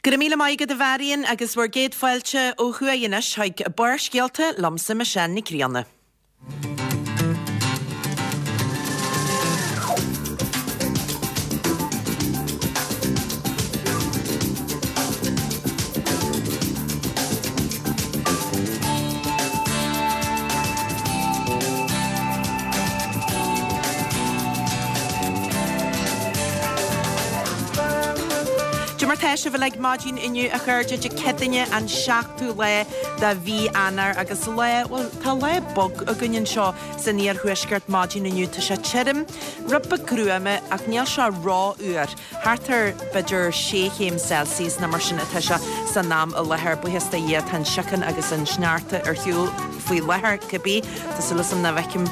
Go raibh míle maith agat a Mharion agus bhur gcéad fáilte ó thuaidh anois chuig Barrscéalta liomsa Michelle Nic Grianna. Cad é mar tá sibh uilig maidin inniu a chairde Dé Céadaoine an 7ú lá de mhí Eanáir agus lá, bhuel tá lá bog againn anseo san iarthuaisceart maidin inniu. Tá sé tirim, rud beag gruama ach níl sé ró-fhuar. Thart ar, b'fhéidir, sé chéim Celsius nó mar sin atá sé san am i láthair. Buíochas do Dhia tá an síocháin agus an sneachta ar shiúl faoi láthair, cibé. Tá súil agam nach bhfeicim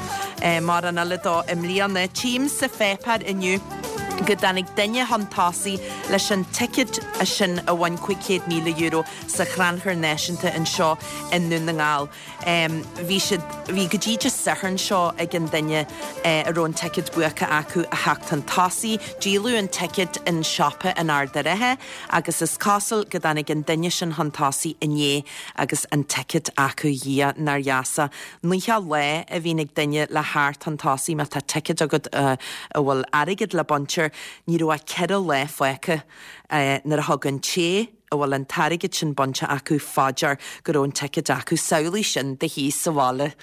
mórán eile dó i mbliana. Tchím sa pháipéar inniu go dtáinig duine chun tosaigh leis an ticéad sin a bhain €500,000 sa Chrannchur Náisiúnta anseo i nDún na nGall. Bhí siad, bhí go dtí Dé Sathairn seo ag an duine a raibh an ticéad buacach acu a theacht chun tosaigh. Díoladh an ticéad in siopa an Ard an Rátha agus is cosúil go dtáinig an duine sin chun tosaigh inné agus an ticéad acu. Dhia, nár dheas. 90 lá a bhíonn ag duine le theacht chun tosaigh má tá ticéad agat a bhfuil airgead le baint air. Ní raibh ach 4 lá fágtha nuair a thug an té a bhfuil an t-airgead sin bainte acu fá dear go raibh an ticéad acu. Samhlaigh sin i do shuí sa bhaile,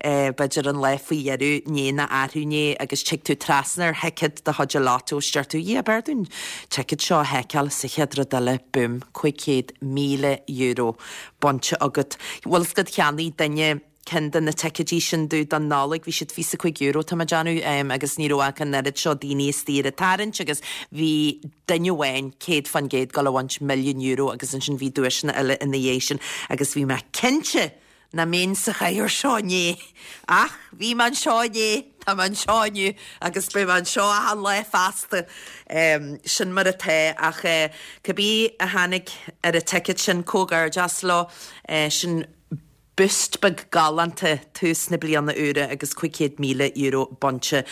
b'fhéidir an lá faoi dheireadh inné nó arú inné agus tig tú trasna ar thicéad de chuid an lotto is deir tú, 'Dhia, b'fhearr dom an ticéad seo a sheiceáil' sa chéad rud eile, boom, €500,000 bainte agat. Bhfuil fhios agat cheannaigh duine ceann de na ticéidí sin domh don Nollaig, bhí siad €25 tá mé ag déanamh, agus ní raibh ach an oiread seo daoine istigh ar an tarraingt agus bhí duine amháin 100% ag dul a bhaint €1,000,000 agus ansin bhí duaiseanna eile ina dhiaidh sin agus bhí mé cinnte nach mbeinn sa chathaoir seo inné ach bhí mé anseo inné, tá mé anseo inniu agus beidh mé anseo achan lá feasta. Sin mar atá ach cibé a tháinig ar an ticéad sin, comhghairdeas leo, sin boost beag galánta tús na bliana úire agus €500,000 bainte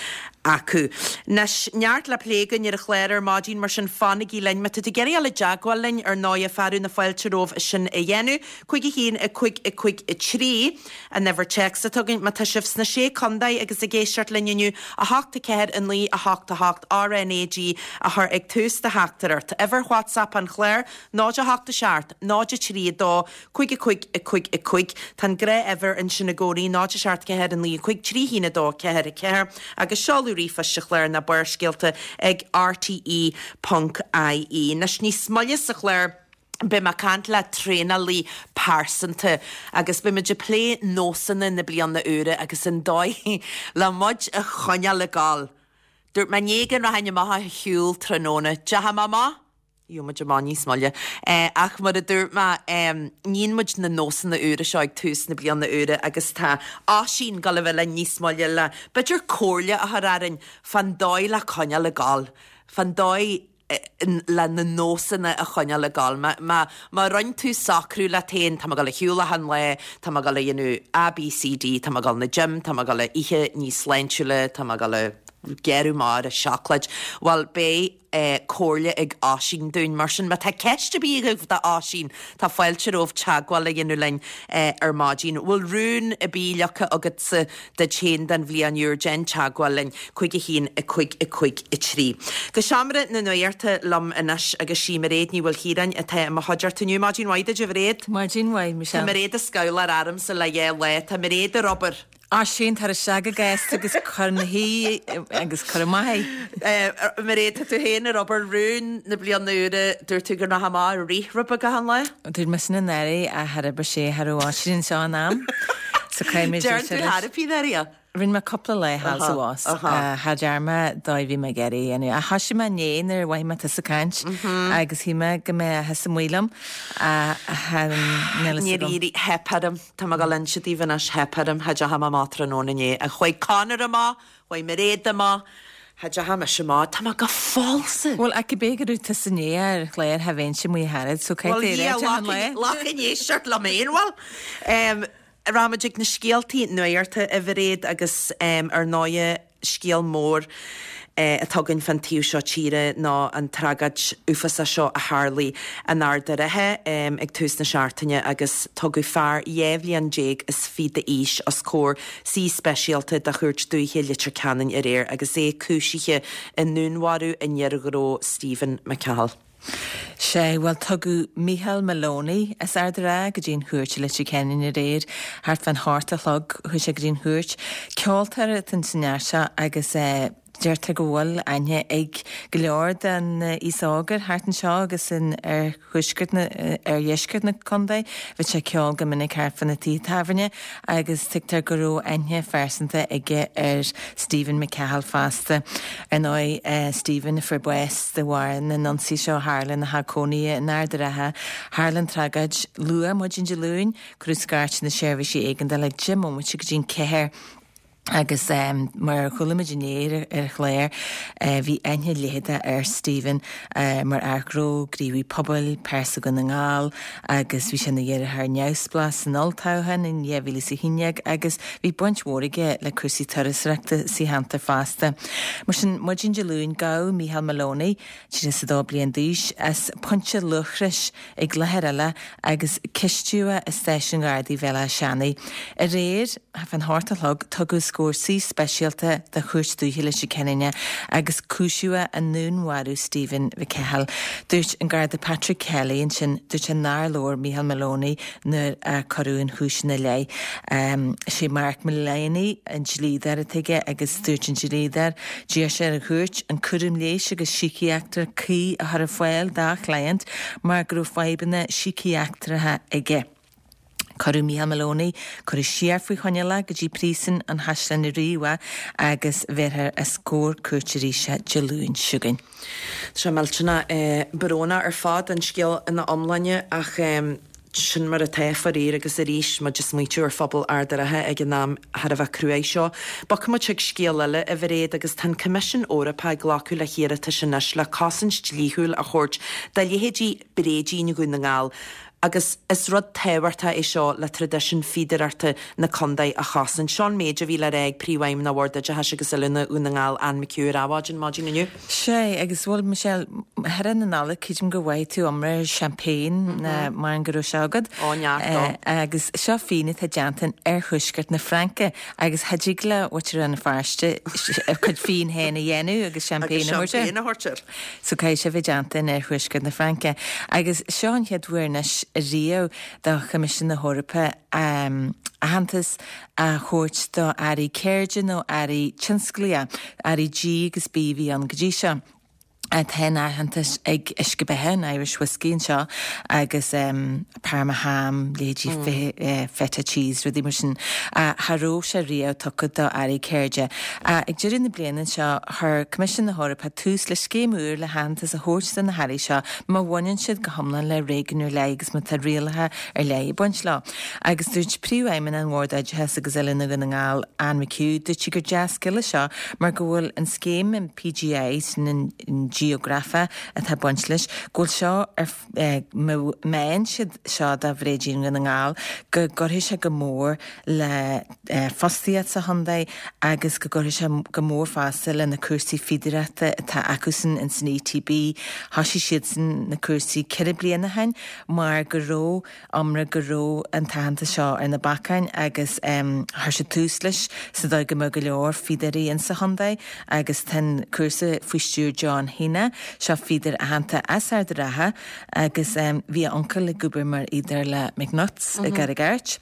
acu. Anois, neart le plé againn ar an chlár ar maidin, mar sin fanaigí linn. Má tá tú ag iarraidh dul i dteagmháil linn, ar ndóighe, fearadh na fáilte romhaibh sin a dhéanamh. 5 1 5 5 3 an uimhir téacs atá againn. Má tá sibh sna Sé Contae agus ag éisteacht linn inniu, 8 4 9 8 8 RNAG a chur ag tús do theachtaireacht. Uimhir WhatsApp an chláir, 0 8 7 0 3 2 5 5 5 5. Tá an gnáth-uimhir ansin i gcónaí, 0 7 4 9 5 3 1 2 4 4, agus seoladh ríomhphoist an chláir ná Barrscéalta ag rte ponc ie. Anois níos moille sa chlár, beidh mé ag caint le traenálaí pearsanta agus beidh muid ag plé nósanna na bliana úire agus an dóigh le muid a choinneáil ag gabháil. Dúirt mé inné go rachainn amach a shiúl tráthnóna. Deachaigh mé amach? Gheobhaidh muid amach níos moille. Ach mar a dúirt mé, níonn muid na nósanna úra seo ag tús na bliana úire agus tá Oisín ag dul a bheith linn níos moille le b'fhéidir comhairle a chur orainn fán dóigh le coinneáil ag gabháil, fán dóigh le na nósanna a choinneáil ag gabháil. Má, má rinne tú socrú leat féin, tá mé ag dul a shiúl achan lá, tá mé ag dul a dhéanamh A, B, C, D, tá mé ag dul 'na gym, tá mé ag dul a ithe níos sláintiúla, tá mé ag dul a gearradh amach ar an seacláid, bhuel beidh comhairle ag Oisín dúinn. Mar sin, má tá ceist ar bith agaibh do Oisín, tá fáilte romhaibh teagmháil a dhéanamh linn ar maidin. Bhfuil rún ar bith leagtha agatsa duit féin don bhliain úr? Déan teagmháil linn, 5 1 5 5 3. Go seomra na nuachta liom anois agus sí Mairéad Ní Mhaoilchiaráin atá i mo chuideachta inniu. Maidin mhaith duit, a Mhairéad. Maidin mhaith, Michelle. Tá Mairéad ag scabhláil ormsa le dhá lá. Tá Mairéad ar obair. Oisín, tar isteach go gasta agus cuir 'na shuí agus cuir amach é. Mairéad, tá tú féin ar obair rún na bliana úire, dúirt tú go rachfá amach ag rith rud beag achan lá? Dúirt mé sin anuraidh ach char oibrigh sé, cha raibh Oisín anseo in am. So caithfidh mé Deireann tú thar a bith? Rinne mé cúpla lá thall is abhus. Cha dearna mé dóigh a bhí mé ag iarraidh a dhéanamh. Ach thoisigh mé inné nuair a mhothaigh mé tusa ag caint agus shíl mé go mbeadh thusa amuigh liom ach níl fhios agam. Níor éirigh, theip orm. Tá mé ag dul a inse daoibh anois, theip orm, cha dteachaigh mé amach tráthnóna inné. Chuaigh Conor amach, chuaigh Mairéad amach, cha dteachaigh mise amach. Tá mé go falsa. Bhuel, ach cibé go raibh tusa inné ar an chlár, cha bheinnse amuigh ach oiread, so caithfidh tú a réiteach an lae. Bhuel, yeah, ag éisteacht liom féin, bhuel. Rachaimid ag na scéaltaí nuachta a Mhairéad agus ar ndóighe scéal mór. atá againn fán taobh seo tíre ná an tragóid uafásach seo a tharlaigh in Ard a' Rátha ag tús na seachtaine agus tugadh fear 12 bhliain is fiche d'aois os comhair suí speisialta de Chúirt Dúiche Leitir Ceanainn aréir agus é cúisithe i ndúnmharú an fhir ghnó Stephen McCahill. Sea, bhuel tugadh Micheál Maloney as Ard a' Rátha go dtí an chúirt i Leitir Ceanainn aréir, thart fán hocht a chlog chuaigh sé go dtí an chúirt. Ceoltóir atá ins an fhear seo agus eh deirtear go bhfuil aithne ag go leor den aos óg air thart anseo agus in oirthuaisceart na, oirdheisceart na contae. Bhíodh sé ag ceol go minic thart fá na tithe tábhairne agus tuigtear go raibh aithne phearsanta aige ar Stephen McCahill fosta. Ar ndóigh, Stephen a fuair bás de bharr na n-ionsaí seo a tharla ina theach cónaithe in Ard a' Rátha. Tharla an tragóid luath maidin Dé Luain. Cuireadh scairt ar na seirbhísí éigeandála ag 10 mbomaite go dtí an ceathair. Agus mar a chuala muid inné ar an chlár, bhí aithne leitheadach ar Stephen mar fhear gnó, gníomhaí pobail, pearsa Dhún na nGall agus bhí sé ina iarrthóir neamhspleách san olltoghchán in 2011 agus bhí baint mhór aige le cúrsaí turasóireachta sa cheantar fosta. Mar sin, maidin Dé Luain, gabhadh Micheál Maloney, 32 bliain d'aois, as Pointe Luachrais i gCloichear Eile agus cistíodh é i Stáisiún Ghardaí Bhéal Átha Seanaidh. Aréir, fán hocht a chlog, tugadh os comhair suí speisialta de Chúirt Dúiche Leitir Ceanainn é agus cúisíodh é i ndúnmharú Stephen McCahill. Dúirt an Garda Patrick Kelly ansin, dúirt sé nár labhair Micheál Maloney nuair a cuireadh an chúis ina leith. Sé Mark Mullaney an dlíodóir atá aige agus dúirt an dlíodóir, d'iarr sé ar an chúirt an cúram leighis agus síciatrach cuí a chur ar fáil dá chliant mar go raibh fadhbanna síciatracha aige. Cuireadh Micheál Maloney, cuireadh siar faoi choinneáil é go dtí príosún an Chaisleáin Ríoga agus bhéarfar os comhair cúirte arís é Dé Luain seo chugainn. Tá sé millteanach brónach ar fad, an scéal ina iomláine, ach sin mar atá, faraor, agus arís muid ag smaoitiú ar phobal Ard a' Rátha ag an am thar a bheith cruaidh seo. Bogfaidh muid chuig scéal eile, a Mhairéad, agus tá an Coimisiún Eorpach ag glacadh le hiarratais anois le cosaint dlíthiúil a thabhairt do leithéidí bréidín Dhún na nGall agus is rud tábhachtach é seo le traidisiún fíodóireachta na contae a chosaint. Seo an méid a bhí le rá ag Príomhfheidhmeannach Bhord Oideachais agus Oiliúna Dhún na nGall, Anne McHugh ar Adhmhaidin maidin inniu. Sea, agus bhuel, Michelle, thar na Nollag, creidim gur mhaígh tú iomrá ar champagne, maram go raibh sé agat. Ó, neart dó. Agus seo fíon atá déanta in oirthuaisceart na Fraince, agus cha dtig le muintir Rann na Feirste a cuid fíon féin a dhéanamh agus champagne a thabhairt air. Agus champagne a thabhairt air. So caithfidh sé bheith déanta in oirthuaisceart na Fraince. Agus seo an chéad uair anois riamh do Choimisiún na hEorpa aitheantas a thabhairt do earraí ceirde nó earraí tionsclaíocha, earraí G agus B a bhí ann go dtí seo. Tá an aitheantas ag uisce beatha, an Irish Whiskey anseo agus Parma ham, leithéidí feta cheese, rudaí mar sin. Cha raibh sé riamh tugtha do earraí ceirde. Ag deireadh na bliana anseo, chuir Coimisiún na hEorpa tús le scéim úr le haitheantas a thabhairt do na hearraí seo má bhaineann siad go hiomlán le réigiún ar leith agus má tá rialacha ar leith ag baint leo. Agus dúirt Príomhfheidhmeannach an Bhoird Oideachais agus Oiliúna Dhún na nGall, Anne McHugh, dúirt sí gur dea-scéal é seo mar go bhfuil an scéim an PGI, sin an geografach atá ag baint leis, go bhfuil seo ar má fhaigheann siad seo do Bhréidín Dhún na nGall go gcuirfidh sé go mór le fostaíocht sa chontae agus go gcuirfidh sé go mór fosta le na cúrsaí fíodóireachta atá acusan ins an ETB. Thoisigh siadsan na cúrsaí ceithre bliana ó shin mar go raibh iomrá go raibh an t-aitheantas seo ar na bacáin agus chuir siad tús leis sa dóigh go mbeadh go leor fíodóirí insa chontae agus tá an cúrsa faoi stiúir John Heaney, seo fíodóir aitheanta as Ard a' Rátha agus bhí a uncail ag obair mar fhíodóir le McNutts i gCarraig Airt.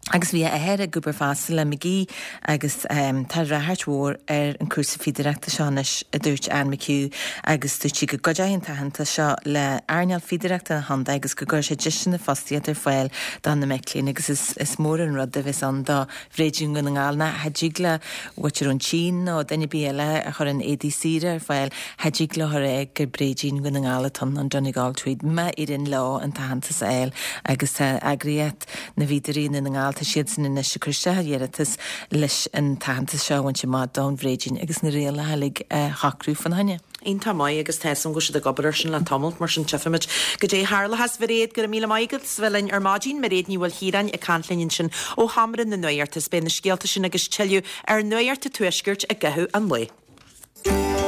Agus bhí a athair ag obair fosta le McGee agus tá ráchairt mhór ar an cúrsa fíodóireachta seo anois, a dúirt Anne McHugh agus dúirt sí go gcuideoidh an t-aitheantas seo le earnáil fíodóireachta an chontae agus go gcuirfidh sé deiseanna fostaíochta ar fáil do na mic léinn agus is mór an rud a bheas ann do Bhréidín Dhún na nGall ná cha dtig le muintir ón tSín nó duine ar bith eile a chuireann éadaí saora ar fáil, cha dtig leo a rá gur Bréidín Dhún na nGall atá ann, an Donegal Tweed, má éiríonn leo an t-aitheantas a fháil agus tá eagraíocht na bhFíodóirí i nDún na nGall, tá siadsan anois ag cur isteach iarratas leis an t-aitheantas seo a bhaint amach don bhréidín agus na rialacha uilig a shocrú fána choinne. Iontach maith agus tá 'fhios a'm go bhfuil siad ag obair air sin le tamalt, mar sin tchífimid goidé a tharlóchas. Mhairéad, go raibh míle maith agat as bheith linn ar maidin. Mairéad Ní Mhaoilchiaráin ag caint linn ansin ó Sheomra na Nuachta. Beidh na scéalta sin agus tuilleadh ar Nuacht an Tuaiscirt i gcaitheamh an lae.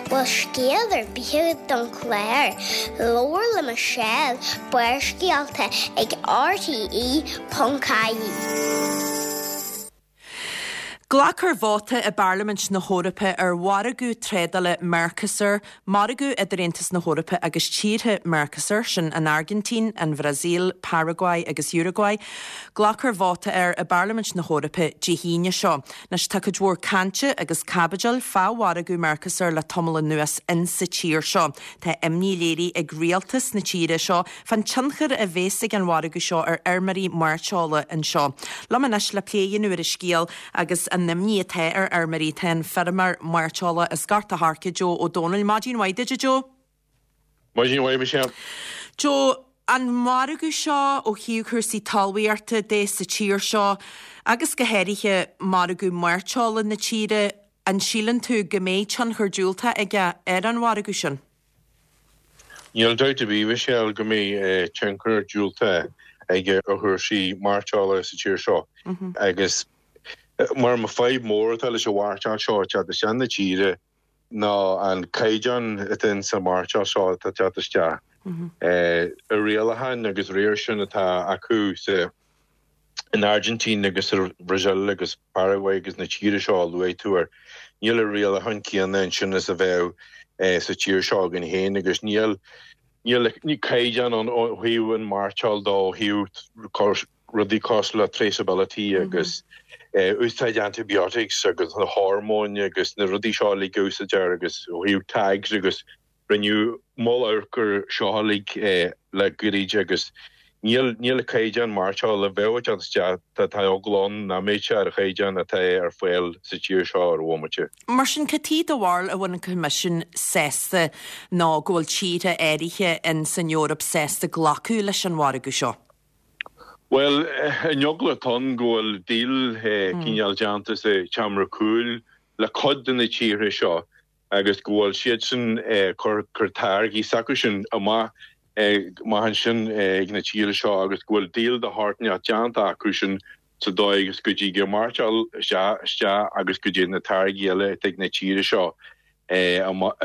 Bhfuil scéal ar bith agat don chlár? Labhair le Michelle, Barrscéalta ag rte.ie. Glacfar vóta i bParlaimint na hEorpa ar mhargadh trádála Mercosur, margadh idir Aontas na hEorpa agus tíortha Mercosur, sin an Airgintín, an Bhrasaíl, Paraguay agus Uruguay. Glacfar vóta air i bParlaimint na hEorpa Dé hAoine seo. Anois tá cuid mhór cainte agus caibidil fá mhargadh Mercosur le tamall anuas insa tír seo. Tá imní léirithe ag rialtas na tíre seo fán tionchar a bheas ag an mhargadh seo ar fheirmeoirí mairteola anseo. Liom anois le plé a dhéanamh ar an scéal agus an imní atá ar fheirmeoirí tá an feirmeoir mairteola as Gort a' Choirce, Joe Ó Dónaill. Maidin mhaith duit, a Joe. Maidin mhaith, Michelle. Joe, an margadh seo ó thaobh cúrsaí talmhaíochta de sa tír seo agus go háirithe margadh mairteola na tíre, an síleann tú go mbeidh tionchar diúltach aige ar an mhargadh sin? Níl dabht ar bith, Michelle, go mbeidh tionchar diúltach aige ar chúrsaí mairteola sa tír seo agus mar an fadhb mór atá leis an mhairteoil seo ag teacht isteach na tíre ná an caighdeán atá ins an mhairteoil seo atá ag teacht isteach. Na rialacháin agus réir sin atá acu sa in Argentina agus sa Bhrasaíl agus Paraguay agus na tíortha seo a luaigh tú air, níl na rialacháin céanna ansin is a bheadh sa tír seo againn féin agus níl níl caighdeán ann ó thaobh an mairteoil de ó thaobh rudaí cosúil le traceability agus úsáid antibiotics agus na hormóin agus na rudaí seo uilig a úsáidtear agus ó thaobh tags agus Rinneadh moll amhairc air seo uilig le goirid agus níl níl an caighdeán mairteola a bheadh ag teacht isteach, tá tá eagla ann nach mbeidh sé ar an chaighdeán atá ar fáil sa tír seo ar an bhomaite. Mar sin, cad chuige do bharúil a bhfuil an Coimisiún sásta nó go bhfuil tíortha áirithe in san Eoraip sásta glacadh leis an mhargadh seo? Bhuel, an eagla atá ann go bhfuil deal cineál déanta sa tseomra cúil le cuid de na tíortha seo agus go bhfuil siadsan ag cur táirgí s'acusan amach amach ansin ag na tíortha seo agus go bhfuil deal de shórt inteacht déanta acusan sa dóigh is go dtig an mhairteoil isteach agus go dtig na táirgí eile atá ag na tíortha seo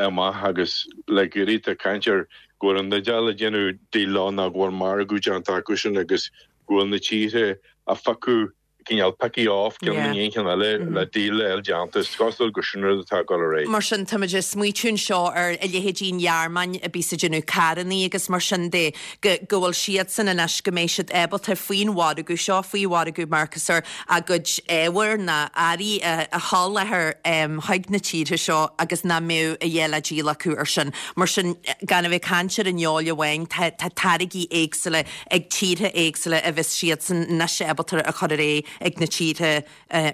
amach agus le gairid tá caint ar go bhfuil an Iodáil ag déanamh deal ann nó go bhfuil margadh déanta acusan agus go bhfuil na tíortha á phiocadh cineál picking off ceann i ndiaidh an cheann eile le deal a fháil déanta. Is cosúil gur sin rud atá ag dul ar aghaidh. Mar sin, táimid ag smaoitiú anseo ar a leithéidí an Ghearmáin a bíos ag déanamh carrannaí agus mar sin de, go go bhfuil siadsan anois, go mbeidh siad ábalta faoin mhargadh seo, faoi mhargadh Mercosur, a gcuid ábhair ná earraí a a sholáthar chuig na tíortha seo agus nach mbeadh a dhath le díol acu ar sin. Mar sin, gan a bheith ag caint ar an fheoil amháin, tá tá táirgí éagsúla ag tíortha éagsúla a bheas siadsan anois ábalta a chur ar aghaidh ag na tíortha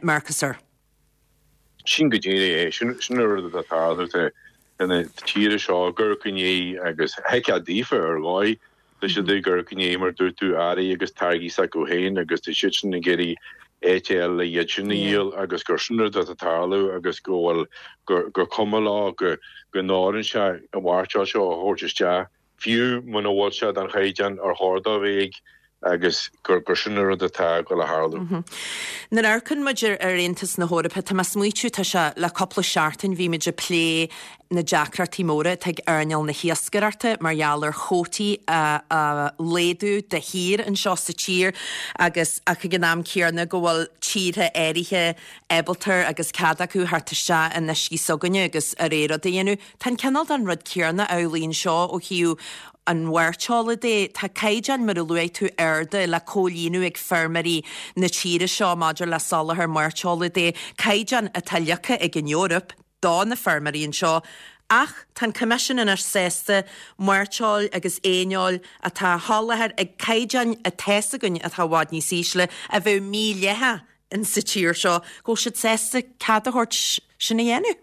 Mercosur. Sin go díreach é. Sin an rud atá ag tarlú. Tá na tíortha seo ag amharc i ndiaidh agus thuigfeá daofa ar dhóigh. Tá siad ag amharc i ndiaidh mar dúirt tú earraí agus táirgí s'acu féin agus tá siadsan ag iarraidh áit a fháil le iad sin a dhíol agus gur sin rud atá ag tarlú agus go bhfuil gur cuma leo go n-oireann sé an mhairteoil seo a thabhairt isteach. fiú muna bhfuil sé den chaighdeán ar chóir dó a bheith ag, agus gur sin an rud atá ag dul a tharlú. Nuair a amharcann muid ar Aontas na hEorpa, tá mé ag smaoitiú, tá sé le cúpla seachtain, bhí muid ag plé na deacrachtaí móra atá ag earnáil na hiascaireachta mar gheall ar chuótaí a laghdú de shíor anseo sa tír agus ach ag an am céanna go bhfuil tíortha áirithe ábalta agus cead acu theacht isteach in uiscí s'againne agus a rogha rud a dhéanamh. Tá an cineál den rud céanna amhlaidh anseo ó thaobh an mhairteola de. Tá caighdeáin, mar a luaigh tú, arda le comhlíonadh ag feirmeoirí na tíre seo maidir le soláthar mairteola de, caighdeáin atá leagtha ag an Eoraip do na feirmeoirí anseo. Ach tá an Coimisiún anois sásta mairteoil agus éineoil atá á sholáthar ag caighdeáin atá's againn atá i bhfad níos ísle, a bheadh mídhleathach insa tír seo, go bhfuil siad sásta cead a thabhairt sin a dhéanamh.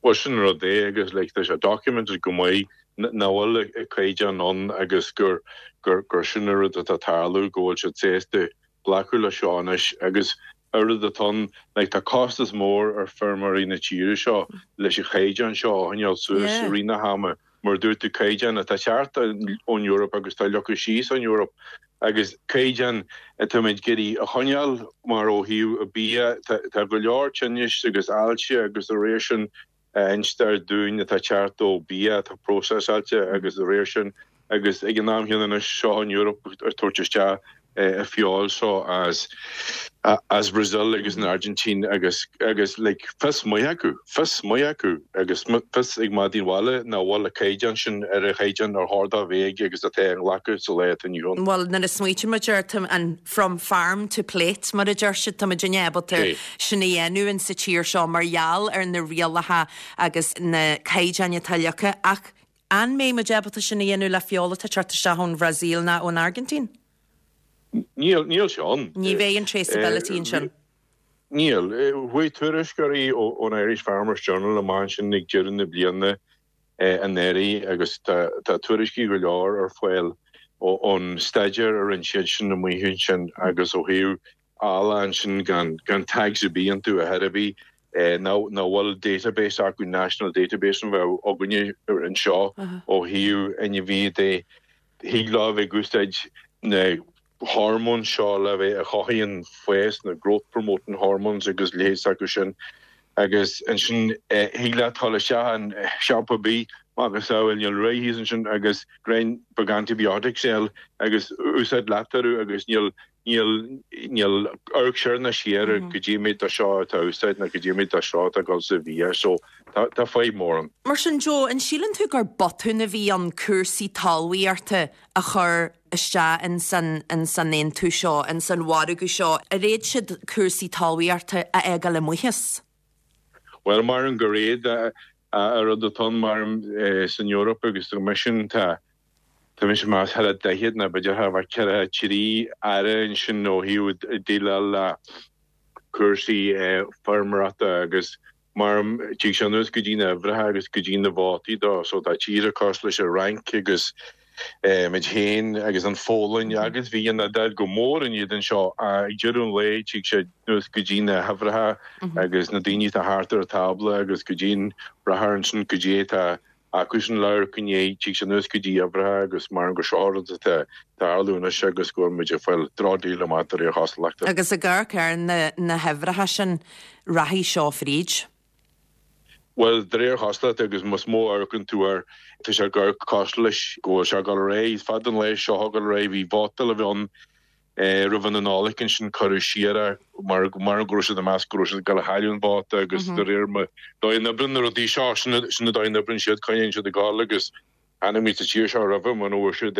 Bhuel sin an rud é agus like tá sé documented go maith nach bhfuil an caighdeán ann agus gur gur gur sin an rud atá ag tarlú go bhfuil siad sásta glacadh le seo anois agus an rud atá ann like tá costas mór ar feirmeoirí na tíre seo leis an chaighdeán seo a choinneáil suas i rith na hama. Mar a dúirt tú, caighdeán atá ag teacht ón Eoraip agus atá leagtha síos ón Eoraip agus caighdeán atáimid ag iarraidh a choinneáil mar ó thaobh bia, tá go leor tinnis agus ailse agus dá réir sin. a instear dúinn atá ag teacht ó bia atá próiseáilte agus de réir sin agus ag an am chéanna anois seo an Eoraip ag tabhairt isteach an feoil seo as as Brazil agus an Argentina agus agus like fios maith acu, fios maith acu agus fios ag madaí an bhaile nach bhfuil an caighdeán sin ar an chaighdeán ar chóir dó bheith aige agus atá á nglacadh sa lá atá inniu ann. Bhuel nuair a smaoitíonn muid air tá an from farm to plate mar a deir siad, tá muidinne ábalta sin a dhéanamh in sa tír seo mar gheall ar na rialacha agus na caighdeáin atá leagtha ach An mbeidh muid ábalta sin a dhéanamh le feoil atá ag teacht isteach ón Bhrasaíl ná ón Airgintín? Níl, níl sé ann. Ní bheidh an traceability ansin. Níl. Chuaigh tuairisceoirí ón Irish Farmers Journal amach ansin ag deireadh na bliana anuraidh agus tá tuairiscí go leor ar fáil ón staidéar a rinne siad sin amuigh ansin agus ó thaobh eallaigh ansin gan tags ar bith iontu a chor ar bith, nach bhfuil database acu, national database a bheadh againne anseo ó thaobh ainmhithe de. Thig leo a bheith ag úsáid na hormóin seo le bheith a chothaíonn fás, na growth promoting hormones agus leithéid s'acu sin. Agus ansin thig leat dul isteach in siopa ar bith macasamhail níl rith thíos ansin agus greim beag antibiotics a fháil agus úsáid leat orthu agus níl Níl, níl amharc soir ná siar ar goidé méid de seo atá á úsáid ná goidé méid de seo atá ag dul sa bhia so tá, tá fadhb mór ann. Mar sin, Joe, an síleann tú gur botún a bhí ann cúrsaí talmhaíochta a chur isteach ins an, ins an aontú seo, ins an mhargadh seo? Ar fhéad siad cúrsaí talmhaíochta a fhágáil amuigh as? Bhuel, maram gur fhéad, an rud atá ann, maram san Eoraip agus sa Choimisiún, tá, tá mise ag meas thar a 40 nó b'fhéidir thar a bheith 43 aire ansin ó thaobh déileáil le cúrsaí feirmeoireachta agus maram tig sé anuas go dtí na huimhreacha agus go dtí na vótaí dó so tá tíortha cosúil leis an Fhrainc agus muid féin agus an Pholainn agus bhí an Iodáil go mór in éadan seo. Ag deireadh an lae tig sé anuas go dtí na huimhreacha agus na daoine atá thart ar an tábla agus go dtí an braitheoir ansin goidé atá acusan le hamharc i ndiaidh, tig sé anuas go dtí uimhreacha agus maram gur seo rud atá ag tarlú anois agus go bhfuil muid ag fáil drochdeal amach de réir chosúlachta. Agus ag amharc ar na huimhreacha sin, rachaidh seo fríd. Bhuel, de réir chosúlachta, agus más mó a amharcann tú air, tá sé ag amharc cosúil leis go bhfuil sé ag dul ar aghaidh. Is fada an lá seo ag dul ar aghaidh. Bhí vóta le bheith ann roimh an Nollaig ansin, cuireadh siar é mar mar go raibh siad ag meas go raibh siad ag dul a chailleadh an vóta agus de réir mar dóigh a n-oibreann na rudaí seo, sin an dóigh a n-oibreann siad, coinníonn siad ag dul agus chonaic muid sa tír seo roimhe muna bhfuair siad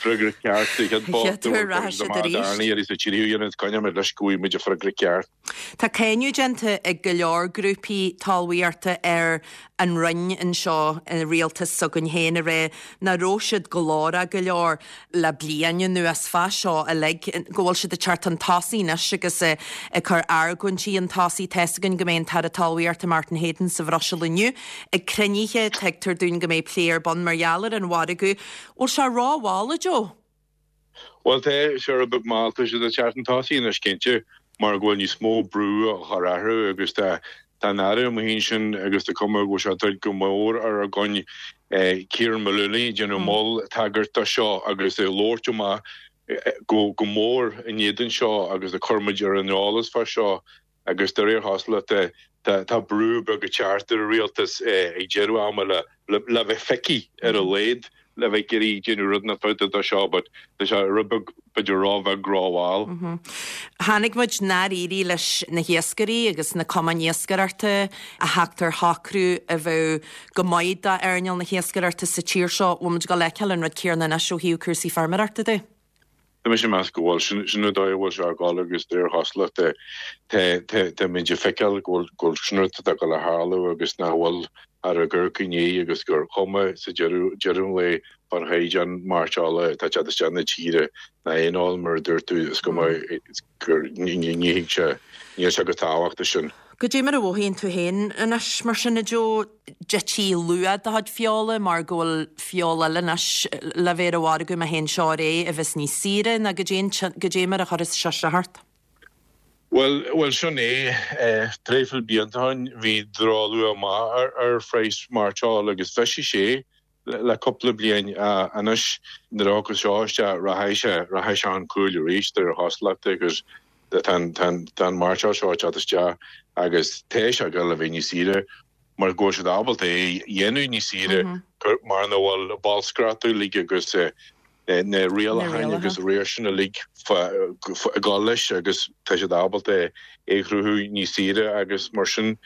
freagra ceart sa chéad vóta, bhuel cuirfidh siad amach darna iarraidh sa tríú iarraidh agus coinneoidh muid leis go bhfaighidh muid an freagra ceart. Tá cáineadh déanta ag go leor grúpaí talmhaíochta ar an Roinn anseo, an rialtas s'againn féin, ag rá nach raibh siad glórach go leor le bliain anuas fá seo uilig, go bhfuil siad ag teacht chun tosaigh anois agus ag cur argóintí chun tosaigh. Tá's againn go mbeidh an tAire Talmhaíochta Martin Heydon sa Bhruiséil inniu ag cruinnithe, tuigtear dúinn go mbeidh plé ar bun mar gheall ar an mhargadh. Bhfuil sé rómhall, a Joe? Bhuel, tá sé rud beag mall, tá siad ag teacht chun tosaigh anois cinnte mar go bhfuil níos mó brú á chur orthu agus tá an Aire amuigh ansin agus tá cuma go bhfuil sé ag dul go mór ar a gcoin Ciaran Mullooly ag déanamh moll tagairt do seo agus ag labhairt amach go mór in éadan seo agus ag cur muid ar an eolas fá seo agus de réir chosúlachta tá brú beag ag teacht ar an rialtas ag deireadh ama le le bheith picky ar a laghad le bheith ag iarraidh déanamh rud inteacht fá dtaobh de seo but tá sé rud beag b'fhéidir róbheag rómhall. Chonaic muid nár éirigh leis na hiascairí agus na cumainn iascaireachta a theacht ar shocrú a bheadh go maith d'earnáil na hiascaireachta sa tír seo. Bhfuil muid ag dul a fheiceáil an rud céanna anois ó thaobh cúrsaí feirmeoireachta de? Tá mise ag meas go bhfuil. Sin sin an dóigh a bhfuil sé ag dul agus de réir chosúlachta táimid ag feiceáil go bhfuil go bhfuil sin rud atá ag dul a tharlú agus nach bhfuil ar a gcur i ndiaidh agus gur chuma sa deireadh deireadh an lae fán chaighdeán mairteola atá ag teacht isteach na tíre ná aon fheoil mar a dúirt tú is cuma gur ní ní thig sé níl sé chomh tábhachtach sin. Goidé mar a mhothaíonn tú féin anois mar sin a Joe? D'ití luach do chuid feola mar go bhfuil feoil eile anois le bheith ar an mhargadh má théann seo ar aghaidh a bheas níos saoire ná goidé goidé mar a chuireas seo isteach ort? Bhuel, bhuel sin é. Traidhfil blianta ó shin bhí drochluach maith ar ar phraghas mairteoil agus bhisigh sé le cúpla bliain. Anois nuair a thiocfas seo isteach rachaidh sé, rachaidh sé chun cúil arís de réir chosúlachta agus tá an, tá an, tá an mairteoil seo ag teacht isteach agus tá sé ag dul a bheith níos saoire. mar go bhfuil siad ábalta é a dhéanamh níos saoire mar nach bhfuil bolscaireacht uilig agus na rialacháin agus riar sin uilig ag dul leis agus tá siad ábalta é a chruthú níos saoire agus mar sin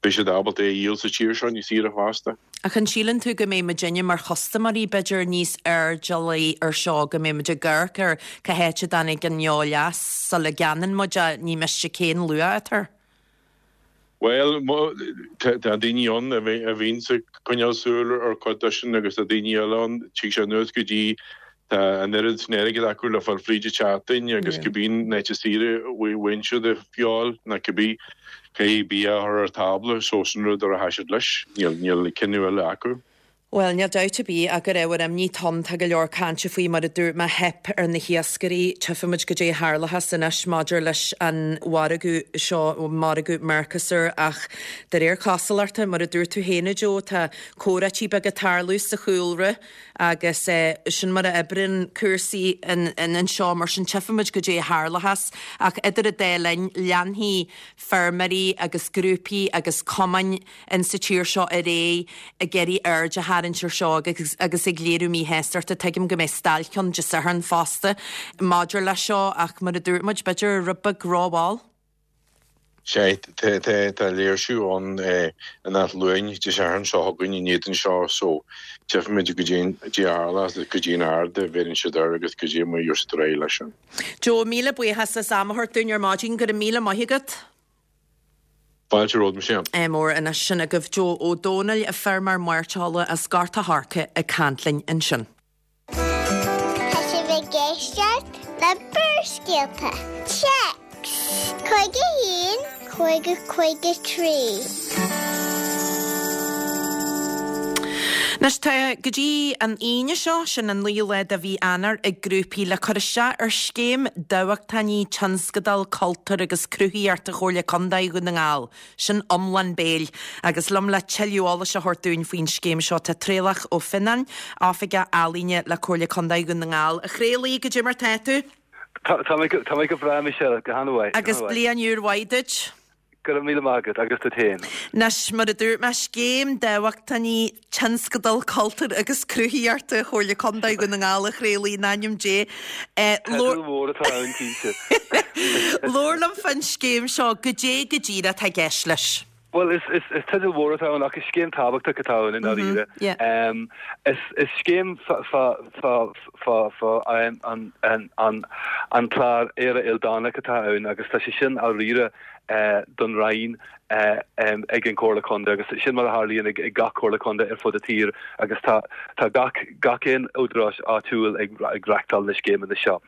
beidh siad ábalta é a dhíol sa tír seo níos saoire fosta. Ach an síleann tú go mbeidh muidinne mar chustaiméirí b'fhéidir níos airdeallaí ar seo, go mbeidh muid ag amharc ar cá háit a dtáinig an fheoil as sula gceannaíonn muid é, ní miste cén luach atá air? Bhuel, tá daoine ann a bhíonns ag coinneáil súil ar chuid de sin agus tá daoine eile ann, tig sé anuas go dtí tá an oiread sin airgid acu le fáil fríd an tseachtain agus cibé an áit is saoire a bhfaigheann siad a feoil ná cibé caithfidh bia a chur ar tábla so sin rud ar a tha siad leis, níl cinneadh eile acu. Bhuel, níl dabht ar bith ach gur ábhar imní atá ann. Tá go leor cainte faoi, mar a dúirt mé, theip ar na hiascairí. Tchífimid goidé a tharlóchas anois maidir leis an mhargadh seo, margadh Mercosur, ach de réir cosúlachta, mar a dúirt tú féin, a Joe, tá comhráití beaga ag tarlú sa chúlra agus sin mar a oibríonn cúrsaí anseo. Mar sin, tchífimid goidé a tharlóchas. Ach idir an dá linn, leanfaidh feirmeoirí agus grúpaí agus cumainn in sa tír seo ar aghaidh ag iarraidh aird a tharraingt ar seo agus agus ag léiriú míshástachta. Tuigim go mbeidh stailc ann Dé Sathairn fosta maidir leis seo ach mar a dúirt muid, b'fhéidir rud beag rómhall. Sea, tá léirsiú ann in Áth Luain Dé Sathairn seo chugainn in éadan seo so tchífimid goidé a tharlós agus goidé an aird a bheireann siad air agus goidé mar a gheobhaidh siad ar aghaidh leis sin. Joe, míle buíochas as am a thabhairt dúinn ar maidin. Go raibh míle maith agat. Fáilte romhat, Michelle. Ádh mór anois sin agaibh Joe Ó Dónaill, feirmeoir mairteola as Gort a' Choirce ag caint linn ansin. Tá sibh ag éisteacht le Barrscéalta. Téacs 51 50 53. Anois tá go dtí an Aoine seo, sin an 9ú lá de mhí Eanáir, ag grúpaí le cur isteach ar Scéim Dámhachtainí Tionscadal Cultúir agus Cruthaitheachta Chomhairle Contae Dhún na nGall. Sin iomlán béil. Agus liom le tuilleadh eolais a thabhairt dúinn faoin scéim seo tá Traolach Ó Fionnáin, Oifigeach Ealaíne le Comhairle Contae Dhún na nGall. A Thraolaigh, goidé mar tá tú? Tá mé go breá, Michelle, go han-mhaith. Agus bliain úr mhaith duit. Go raibh míle maith agat, agus duit féin. Anois, mar a dúirt mé, Scéim Dámhachtainí Tionscadal Cultúir agus Cruthaitheachta Chomhairle Contae Dhún na nGall a Thraolaigh, in ainm Dé. Teideal mór atá ann, cinnte. Labhair liom fán scéim seo, goidé go díreach atá i gceist leis? Bhuel, is teideal mhór atá ann ach is scéim tábhachtach atá ann i ndáiríre. Is scéim fá an clár Éire Ildánach atá ann agus tá sé sin á riaradh don Roinn ag an Chomhairle Contae agus sin mar a tharlaíonn ag gach Comhairle Contae ar fud an tír agus tá tá gach gach aon údarás áitiúil ag ag reachtáil na scéimeanna seo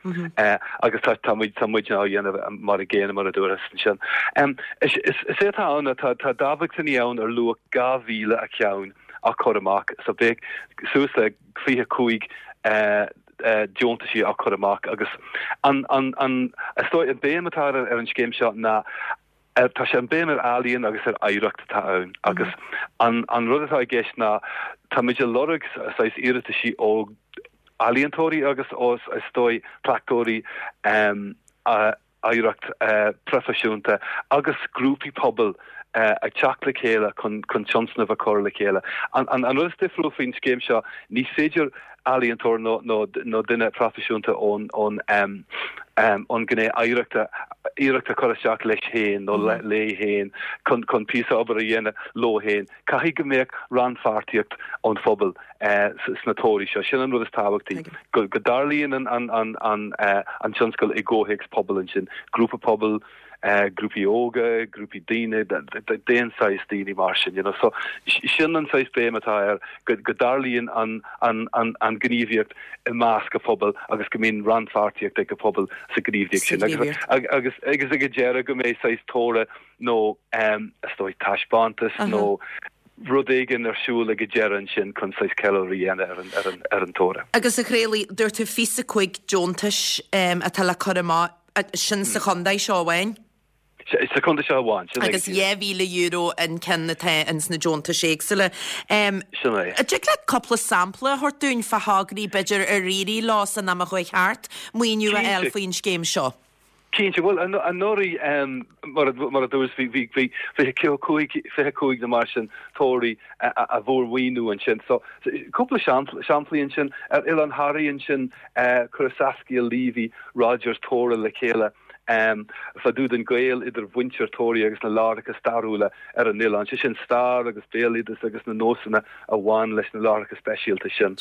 agus tá tá muid tá muid á dhéanamh mar a gcéanna mar a dúras ansin. Is is é atá ann tá tá dámhachtainí ann ar luach 2,000 a cheann á cur amach so beidh suas le 25 deontaisí á cur amach agus an an an is dóigh an béim atá ar ar an scéim seo ná tá sé an béim ar ealaíon agus ar oidhreacht atá ann agus an an rud atá i gceist ná táimid ag lorg saghas iarrataisí ó ealaíontóirí agus ó is dóigh cleachtóirí a oidhreacht proifisiúnta agus grúpaí pobail ag teacht le chéile chun tionscnamh a chur le chéile. An rud is difriúil faoin scéim seo, ní féidir ealaíontóir nó duine proifisiúnta ón ngné oidhreachta iarracht a chur isteach leis féin nó léi féin chun píosa obair a dhéanamh leo féin. Caithfidh go mbeadh rannpháirtíocht ón phobal sna tograí seo. Sin an rud is tábhachtaí, go dtarlaíonn an tionscal i gcomhthéacs pobail ansin, grúpa pobail, grúpaí óga, grúpaí daoine, d'aon saghas daoine mar sin, you know. So sin an saghas béim atá air, go dtarlaíonn an ghníomhaíocht i measc an phobail agus go mbíonn rannpháirtíocht ag an phobal sa ghníomhaíocht sin. Agus ag an deireadh go mbeidh saghas toradh nó is dóigh taispeántas nó rud éigin ar siúl ag an deireadh ansin chun saghas ceiliúradh a dhéanamh ar an toradh. Agus a Thraolaigh, dúirt tú 25 deontais atá le cur amach, sin sa chontae seo amháin? Sa chontae seo amháin, sin é. Agus €2,000 an ceann atá ins na deontais éagsúla. Sin é. An dtig leat cúpla sampla a thabhairt dúinn fá thograí b'fhéidir ar éirigh leo san am a chuaigh thart maoiniú a fháil faoin scéim seo? Cinnte, bhuel, anuraidh, mar a dúras, bhí 25 nó mar sin tograí a fuair maoiniú ansin. So, cúpla samplaí ansin, ar Oileán Thoraí ansin, chuir Saskia Leavy Rogers togra le chéile fá dtaobh den ghaol idir mhuintir Thoraí agus na láithreacha stairiúla ar an oileán, sé sin stair agus béaloideas agus na nósanna a bhain leis na láithreacha speisialta sin.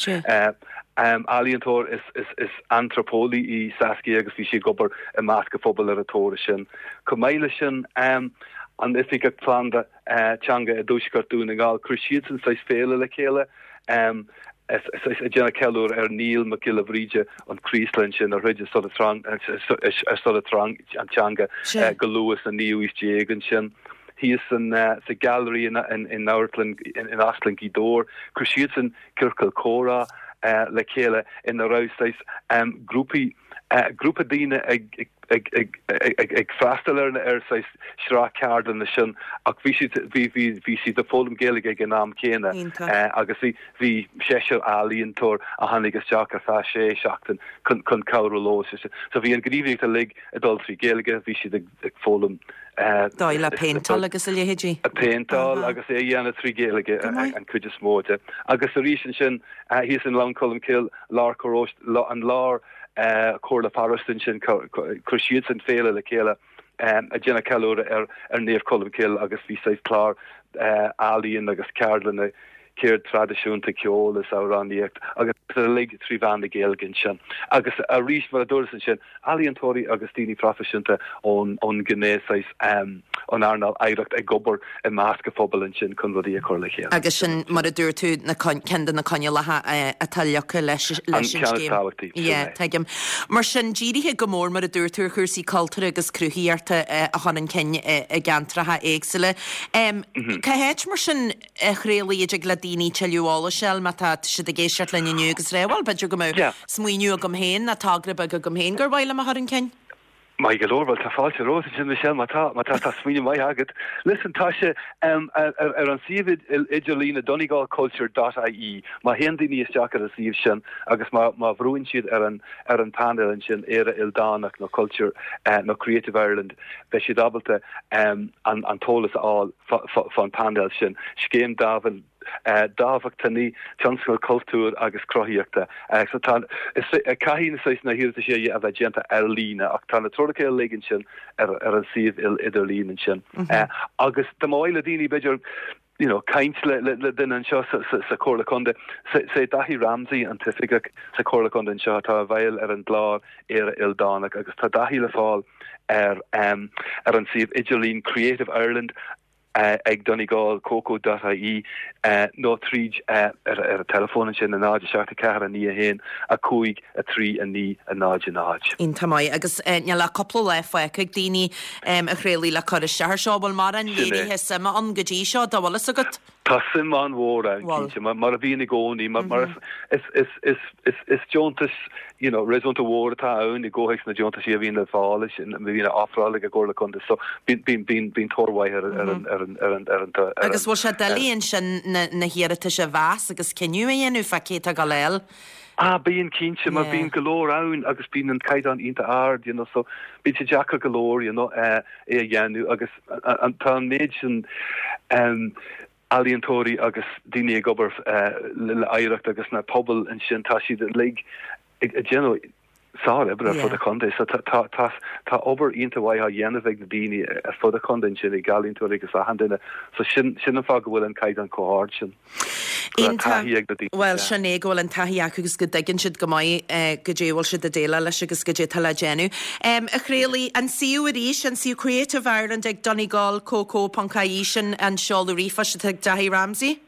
Ealaíontóir is antraipeolaí í Saskia agus bhí sí ag obair i measc an phobail ar an togra sin. Chomh maith leis sin, an Oifigeach Pleanála Teanga i dTuaisceart Dhún na nGall, chuir siadsan saghas féile le chéile ag déanamh ceiliúradh ar Niall Mac Giolla Bhríde, an Chraoslaigh ansin, a throid ar son an teanga go luath sa naoú haois déag ansin. Thíos sa Gallery in Amharclann, in Óstlann Ghaoth Dobhair, chuir siadsan ciorcal comhrá le chéile ina raibh saghas grúpaí, grúpa daoine ag ag freastal ar ar saghas sraith ceardlanna sin ach bhí siad bhí bhí bhí siad ag foghlaim Gaeilge ag an am céanna agus bhí bhí seisear ealaíontóir a tháinig isteach ar feadh sé seachtain chun chun cabhrú leo. So bhí an ghníomhaíocht uilig ag dul trí Ghaeilge, bhí siad ag ag foghlaim. Dóigh le péinteáil agus a leithéidí. Péinteáil agus é a dhéanamh trí Ghaeilge an chuid is mó de. Agus arís ansin thíos i nGleann Cholm Cille, lár paróiste, an lár comhairle pharóiste ansin, chuir siadsan féile le chéile ag déanamh ceiliúradh ar Naomh Colm Cille agus bhí saghas clár ealaíon agus ceardlanna ceird traidisiúnta, ceol is amhránaíocht agus uilig trí mheán na Gaeilge ansin. Agus arís, mar a dúras ansin, ealaíontóirí agus daoine proifisiúnta ón ón ngné saghas, ón earnáil oidhreacht ag obair i measc an phobail ansin chun rudaí a chur le chéile. Agus sin, mar a dúirt tú, na ceann de na coinníollacha atá leagtha leis an An ceann is tábhachtaí, sin é. Tuigim. Mar sin, dírithe go mór, mar a dúirt tú, ar chúrsaí cultúrtha agus cruthaíochta a chur chun cinn i gceantracha éagsúla. Cá háit, mar sin, a Thraolaigh, a dtig le daoine tuilleadh eolais a fháil má tá siad ag éisteacht linn inniu agus rá, bhuel, b'fhéidir go mbeadh smaoineamh agam féin nó togra beag agam féin gur mhaith liom a chur chun cinn. Maith go leor, bhuel tá fáilte romhat ansin Michelle, má tá, má tá, tá smaoineamh maith agat. Listen, tá sé um, ar, ar an suíomh idirlíne donegalculture dot ie, má théann daoine isteach ar an suíomh sin agus má, má bhrúann siad ar an, ar an painéal ansin Éire Ildánach nó Culture uh, nó Creative Ireland, beidh siad ábalta um, an, an t-eolas a fháil. fán phainéal sin, Scéim Dámhachtainí Tionscal Cultúir agus Cruthaíochta. So tá, caithfidh na saghas na hiarratais a bheith déanta ar líne ach tá na treoracha uilig ansin ar ar an suíomh idirlín ansin. Agus dá mba mhaith le daoine b'fhéidir you know, caint le le duine anseo sa sa sa Chomhairle Contae, sé Daithí Ramsey an t-oifigeach sa Chomhairle Contae anseo atá i bhfeighil ar an gclár Éire Ildánach agus tá Daithí le fáil ar ar an suíomh idirlín Creative Ireland ag donegalcoco dot ie nó tríd ar ar an teileafón ansin 0 7 4 9 1 5 3 9 0 0. Iontach maith. Agus níl ach cúpla lá fágtha ag daoine a Thraolaigh le cur isteach air seo. Bhfuil mórán léirithe suime ann go dtí seo, dá bhfuil fhios agat? Tá suim an-mhór ann, cinnte, mar a bhíonn i gcónaí, mar is deontas, you know, réasúnta mhór atá ann i gcomhthéacs na deontaisí a bhíonn le fáil, a bhíonn á ofráil ag an gComhairle Contae, so bíonn tóir mhaith ar an, ar an, ar an, ar an. Agus bhfuil sé doiligh ansin na hiarratais a mheas agus cinneadh a dhéanamh fá cé atá ag dul a fháil? Ah, bíonn, cinnte, mar bíonn go leor ann agus bíonn an caighdeán iontach ard, you know, so bíonn sé deacair go leor, you know, é a dhéanamh agus Tá an méid sin ealaíontóirí agus daoine ag obair le hoidhreacht agus na pobail ansin, tá siad uilig ag déanamh sár-oibre ar fud an chontae. So tá tá tá obair iontach mhaith á dhéanamh ag na daoine ar fud an chontae ansin, ag ealaíontóirí agus achan duine. So sin sin an fáth go bhfuil an caighdeán chomh hard sin. Go raibh taithí ag na daoine. Bhuel, sin é, go bhfuil an taithí acu agus go dtuigeann siad go maith goidé a bhfuil siad ag déileáil leis agus goidé atá le déanamh. A Thraolaigh, an suíomh arís, an suíomh Creative Ireland ag donegalcoco ponc ie, sin an seoladh ríomhphoist atá ag Daithí Ramsey?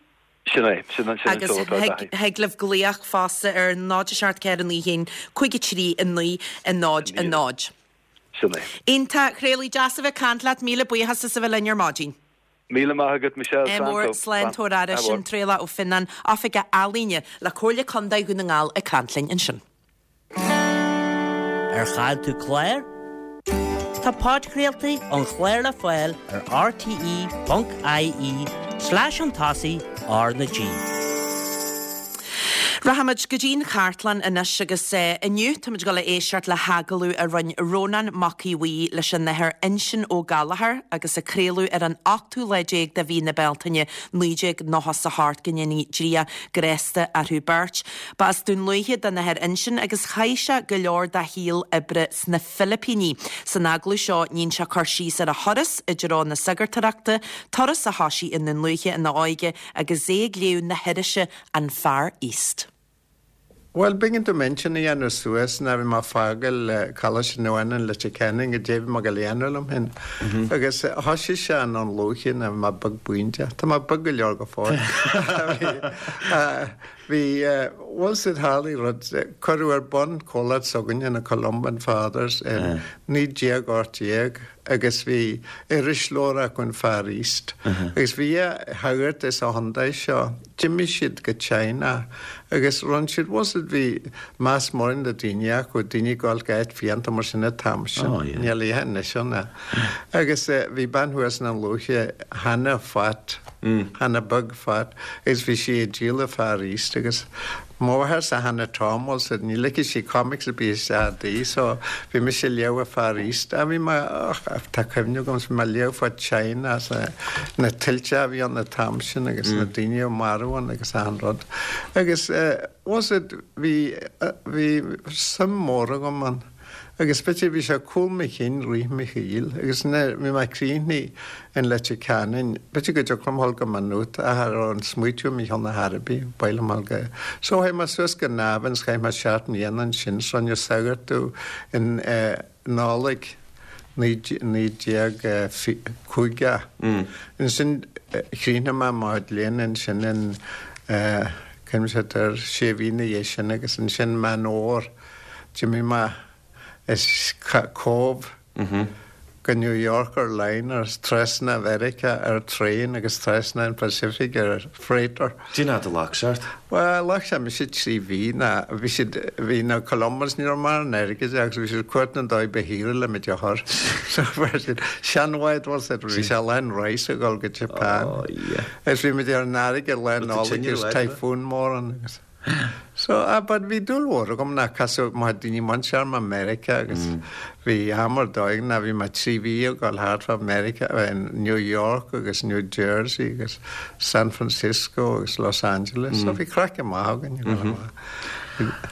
Sin é, sin an seoladh atá ag Daithí. Agus thig libh glaoch fosta ar 0 7 4 9 1 5 3 9 0 0. Sin é. Iontach, a Thraolaigh, deas a bheith ag caint leat, míle buíochas as a bheith linn ar maidin. Míle maith agat Michelle. Ádh mór, slán, tabhair aire, sin Traolach Ó Fionnáin, Oifigeach Ealaíne le Comhairle Contae Dhún na nGall ag caint linn ansin. Ar chaill tú clár? Tá podchraoltaí an chláir le fáil ar rte.ie slash an tosaigh R na G. Rachaimid go dtí'n chartlann anois agus inniu táimid ag dul a éisteacht le hagallamh a rinne Rónán Mac Aodha Bhuí leis an Athair Uinseann Ó Gallchóir agus a craoladh ar an ochtú lá déag de mhí na Bealtaine 1998, go ndéanaí Dia grásta orthu beirt. Ba as Dún Lúiche don Athair Uinseann agus chaith sé go leor dá shaol oibre sna Filipíní. San agallamh seo níonn sé cur síos ar a thuras i dtreo na sagartóireachta, turas a thosaigh i nDún Lúiche ina óige agus é ag léamh na hirise An Far East. Bhuel, b'éigean dom intinn a dhéanamh suas nuair a bhí mé ag fágáil Coláiste Naomh Fhionáin Leitir Ceanainn goidé a bhí mé ag dul a dhéanamh liom féin. Agus thoisigh sé i nDún Lúiche nuair a bhí mé beag buindeach. Tá mé beag go leor go fóill. Bhí, bhuel, sea, tharlaigh rud, cuireadh ar bun comhlacht s'againne, na Columban Fathers, in 1918. agus bhí irisleabhar acu an Far East agus bhí dhá shagart as an chontae seo, d'imigh siad go China agus rinn siad, bhfuil 's a'd bhí meas mór ag na daoine acu, daoine ag dul go áit fiánta mar sin an t-am sin, níl a dhath anois ann agus bhí bean thuas i nDún Lúiche, Hannah Phat, Hannah Beag Phat agus bhí sí ag díol an Far East agus Mo mháthairse Hannah Tom, bhfuil 's a'd, ní ligfeadh sí comics ar bith isteach i dtigh so bhí mise ag léamh an Far East. Ah bhí mé, och, tá cuimhne agam, bhí mé ag léamh fá China is na tuilte a bhí ann an t-am sin agus na daoine a marbhadh ann agus achan rud. Agus eh, bhfuil 's a'd, bhí, bhí suim mór agam ann. Agus b'fhéidir bhí sé cúl mo chinn rith mo shaoil agus nuair bhí mé críochnaithe in Leitir Ceanainn, b'fhéidir go dtiocfadh liom dhul go Maigh Nuad ach cha raibh an smaoitiú i mo cheann ar chor ar bith, ba mhaith liom dhul go. So chuaigh mé suas go Navan 's chaith mé seacht mbliana ansin 's rinneadh sagart domh in Nollaig 1950. Ansin chríochnaigh mé mo chuid léinn ansin in, cuimhnigh air, sé mhí ina dhiaidh sin agus ansin Meán Fhómhair D'imigh mé as Cóbh go New York ar liner, trasna Mheiriceá ar traein agus trasna an Pacific ar freighter. Cén fhad a ghlac sé ort? Bhuel, ghlac sé mise 3 mhí ná bhí siad, bhí na Columbans, ní raibh mórán airgid acu agus bhí siad ag cuartú an dóigh ba shaoire le muid a chur. So fuair siad seanbhád, bhfuil 's a'd, bhí sé lán rice ag dul go Japan. Oh yeah. Agus bhí muid ar an fharraige lá Nollag agus typhoon mór ann agus. So, ah, but bhí dúil mhór agam ná casadh mo daoine muintear i Meiriceá agus bhí am ar dóigh ná bhí mé 3 mhí ag dul thart fá Meiriceá, in New York agus New Jersey agus San Francisco agus Los Angeles. So bhí craic maith againn ag dul amach.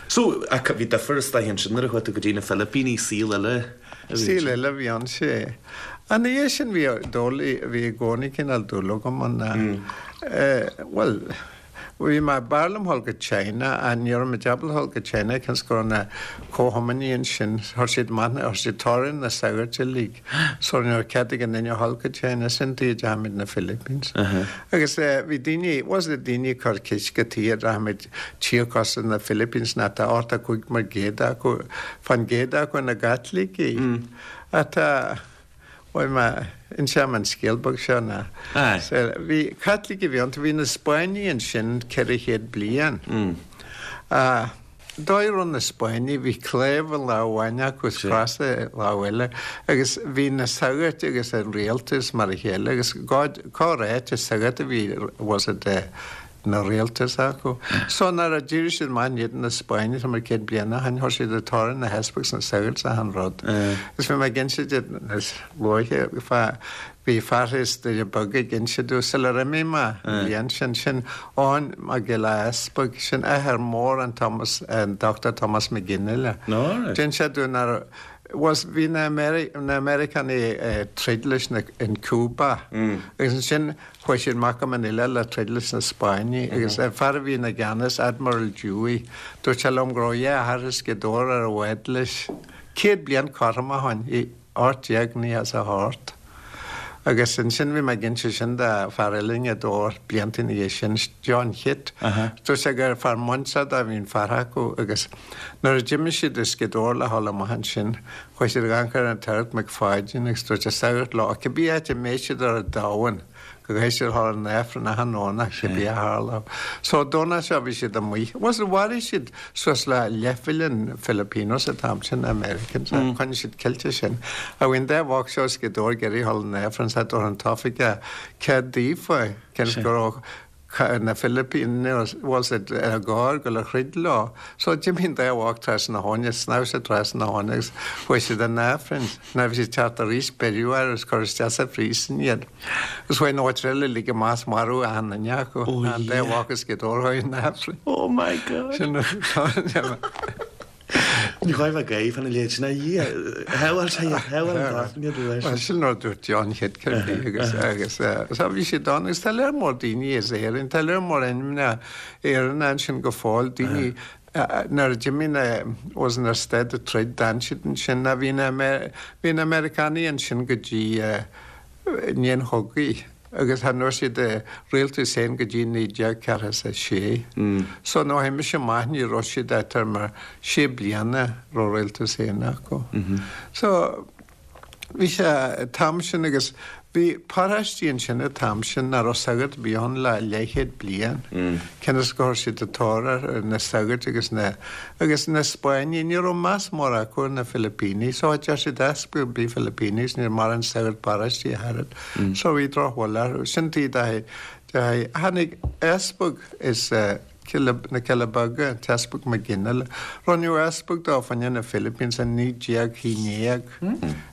So, ach bhí difear istoíche ansin nuair a chuaigh tú go dtí na Filipíní, saol eile a bhí ansin. Saol eile a bhí ann, sea. Ina dhiaidh sin bhí dúil, bhí i gcónaí cineál dúil agam ann, eh, bhuel, Bhí mé, b'fhearr liom dhul go China ach ní raibh muid ábalta dhul go China cionn 's go raibh na comhchumannaigh ansin, chuir siad amach na, chuir siad tórramh na sagairt uilig so ní raibh cead ag aon duine dhul go China, sin tuige a dteachaigh muid na Philippines. Agus bhí daoine, was it daoine ag cur ceist cad tuige a rachadh muid tír cosúil na Philippines ná tá 85% acu, fán gcéad acu ina gCaitlicigh. Ach tá. Bhuel má inseoidh mé an scéal beag seo ná bhí Caitlicigh a bhí iontu, bhí na Spáinnigh ansin 400 bliain. Dóigh a raibh na Spáinnigh, bhí claíomh i lámh amháin acu is cros i lámh eile agus bhí na sagairt agus an rialtas mar a chéile agus cá ráite sagart a bhí was it na rialtas acu. So nuair a d'éirigh siad amach in éadan na Spáinne tá mar 100 bliain ó shin, chuir siad ag tórramh na heaspaig 's na sagairt 's achan rud. Agus bhí mé ag inse duit níos luaithe fá, bhí fear as Doire Beaga ag inse domh sular imigh mé an bhliain sin, sin Eoin Mac Giolla Easpaig, sin athair mór an Thomas, an Dr Thomas Mac Fhionnghaile. D'inis sé domh nuair was, bhí na na Meiriceánaigh ag troid leis na, in Cuba agus ansin Chuaigh siad amach go Manila le troid leis na Spáinnigh agus an fear a bhí ina gceannas, Admiral Dewey, dúirt sé liom go raibh a dheartháir as Gaoth Dobhair ar an bhád leis 100 bliain cothrom ó shin, i 1898. Agus ansin bhí mé ag inse sin do fear eile i nGaoth Dobhair blianta ina dhiaidh sin, John Chitt. Dúirt sé gur fear muinteartha a bhí an fear acu agus nuair a d'imigh siad as Gaoth Dobhair le dhul amach ansin, Chuaigh siad ag amharc ar an tSagart McFadden agus dúirt an sagart leo cibé áit a mbeidh siad ar an domhan go gcaithfidh siad a dhul an Aifreann achan Domhnach cibé a tharlódh. So an Domhnach seo bhí siad amuigh. Bhuel mharaigh siad suas le leathmhilliún Filipinos an t-am sin, Americans, ach choinnigh siad ceilte sin. Ach bhí an dá bhoc seo as Gaoth Dobhair ag iarraidh a dhul an Aifreann so dúirt an t-oifigeach cead daofa cionn is go raibh. Na Philippines bhfuil siad ar gor go le throid leo. So d'imigh an dá mhac trasna na habhann, shnámh siad trasna na habhann agus chuaigh siad in Aifreann. Nuair a bhí siad teacht arís beireadh orthu agus cuireadh isteach sa phríosún iad. Agus chuaigh an mhuintir eile uilig amach is maraíodh achan duine acu. An dá mhac is Gaoth Dobhair chuaigh in Aifreann. Oh my God. Sin Ní ghaibh a gaibh an léid sin a Dhia. Shábháil sé iad, shábháil an t-aifreann iad leis. Bhuel, sin rud a dúirt John Chéad agus agus so bhí siad ann agus tá lear mór daoine as Éirinn, tá lear mór ainmneacha Éireannacha ansin go fóill, daoine nuair a d'imigh na was na stad ag troid d'fhan siad ansin ná bhí na bhí na Meiriceánaigh ansin go dtí i ndiaidh an chogaidh agus chan fhuair siad a rialtas féin go dtí 1946. So nuair a chuaigh mise amach ní raibh siad ach thart mar sé bliana raibh rialtas féin acu. So bhí sé an t-am sin agus bhí paráistí ansin an t-am sin nach raibh sagart ar bith ann le leathchéad bliain. Cionn is gur chuir siad an tóir ar na sagairt agus na Agus na Spáinnigh, ní raibh meas mór acu ar na Filipínigh, so deir siad easpag ar bith Filipínigh, ní raibh mórán sagart paráistí ach oiread. So bhí drochbhail orthu. Sin taobh de de tháinig easpag as na Cealla Beaga, an tEaspag Mac Fhionnghaile. Rinneadh easpag dó fá choinne na Philippines in 1911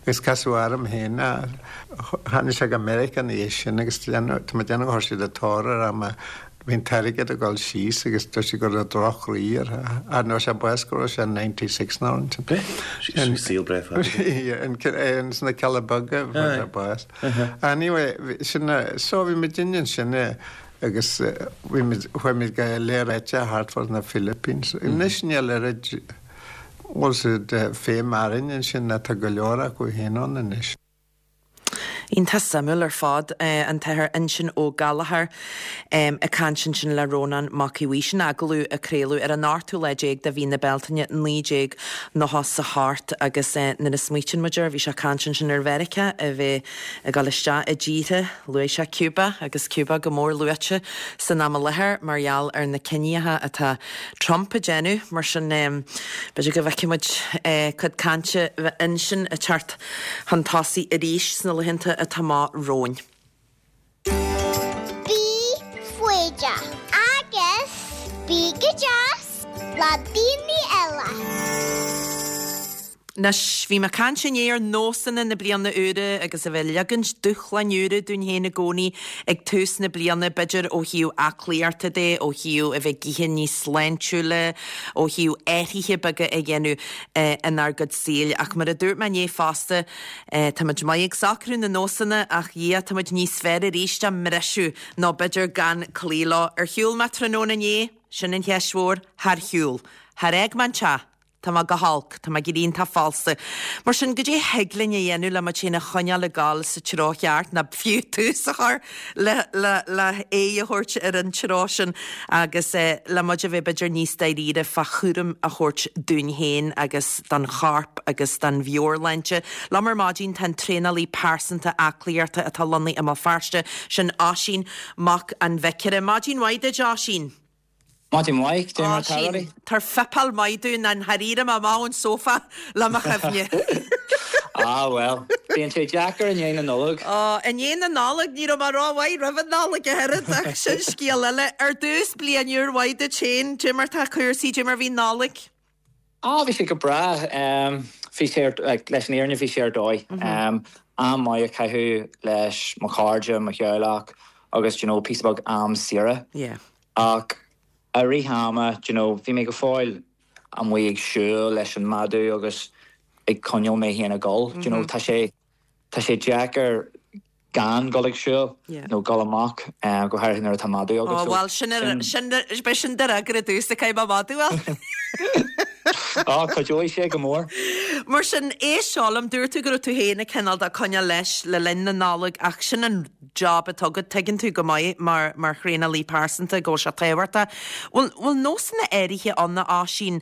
agus casadh orm féin é. Tháinig sé go Meiriceá ina dhiaidh sin agus tá mé ag déanamh gur chuir siad an tóir air mar Bhí an t-airgead ag dul síos agus dúirt siad go raibh droch-chroí air. Ar ndóigh sé bás go raibh sé 96 nó ansin. Bhí saol breá fada aige. Sna Cealla Beaga a fuair sé bás. Anyway, sin so bhí muidinne ansin agus bhí muid, chuaigh muid go lear áite thart fá na Philippines. Anois níl oiread, bhfuil siad féin marainn ansin ná tá go leor acu féin ann anois. Iontach suimiúil ar fad, an tAthair Uinseann Ó Gallchóir ag caint ansin le Rónán Mac Aodha Bhuí. Sin agallamh a craoladh ar an ochtú lá déag de mhí na Bealtaine 1998 agus nuair a smaoitíonn muid air, bhí sé ag caint ansin ar Mheiriceá a bheith ag dul isteach i dtíortha, luaigh sé Cuba agus Cuba go mór luaite san am i láthair mar gheall ar na ciníocha atá Trump ag déanamh. Mar sin, b'fhéidir go bhfeicfidh muid cuid cainte ansin ag teacht chun tosaigh arís sna laethanta atá amach romhainn. Bí foighdeach agus bí go deas le daoine eile. Anois, bhí mé ag caint inné ar nósanna na bliana úire agus a bheith ag leagaint dúshláin úra dúinn féin i gcónaí ag tús na bliana, b'fhéidir ó thaobh aclaíochta de, ó thaobh a bheith ag ithe níos sláintiúla, ó thaobh athruithe beaga a dhéanamh inár gcuid saoil. Ach mar a dúirt mé inné fosta, táimid maith ag socrú na nósanna ach Dhia, táimid níos fearr arís á mbriseadh nó b'fhéidir gan cloí leo. Ar shiúl mé tráthnóna inné? Sin an cheist mhór. Char shiúl. Char fhág mé an teach. Tá mé go holc. Tá mé ag éirí iontach falsa. Mar sin, goidé thig linn a dhéanamh le muid féin a choinneáil ag gabháil sa treo cheart, nó fiú tús a chur le le le aghaidh a thabhairt ar an treo sin agus le muid a bheith b'fhéidir níos dáiríre fá chúram a thabhairt dúinn féin agus don chorp agus don mheabhairshláinte. Liom ar maidin tá an traenálaí pearsanta aclaíochta atá lonnaithe i mBéal Feirste, sin Oisín Mac an Bhiocaire. Maidin mhaith duit, Oisín. Maidin mhaith, cad é mar atá Oisín, rudaí? Tabhair fuipeáil maith dúinn, nó char éirigh mé amach ón sófá le mo chuimhne. Ah bhuel, bíonn sé deacair i ndiaidh na Nollag. Ó, i ndiaidh na Nollag, ní raibh mé rómhaith roimh an Nollaig a oiread, ach sin scéal eile. Ar dtús, bliain úr mhaith duit féin, cad é mar tá cúrsaí, cad é mar bhí an Nollaig? Ah, bhí sé go breá. Bhí sé ar, like, leis an fhírinne bhí sé ar dóigh. Am maith a chaitheamh leis mo chairde, mo theaghlach agus, do you know, píosa beag am saoire. Yeah. Ach i rith ama, do you know, bhí mé go fóill amuigh ag siúl leis an madadh agus ag coinneáil mé féin ag dul. Do you know, tá sé, tá sé deacair gan dul ag siúl nó dul amach, go háirithe nuair atá madadh agat. Ó, bhuel, sin, sin, b'é sin do fhreagra domhsa, caithfidh mé madadh a fháil. Ó, cuideoidh sé go mór. Mar sin, éist seo liom, dúirt tú go raibh tú féin ag cineál de coinneáil leis le linn na Nollag ach sin an job atá agat, tuigeann tú go maith mar mar thraenálaí pearsanta go bhfuil sé tábhachtach. Bhfuil bhfuil nósanna áirithe ann a Oisín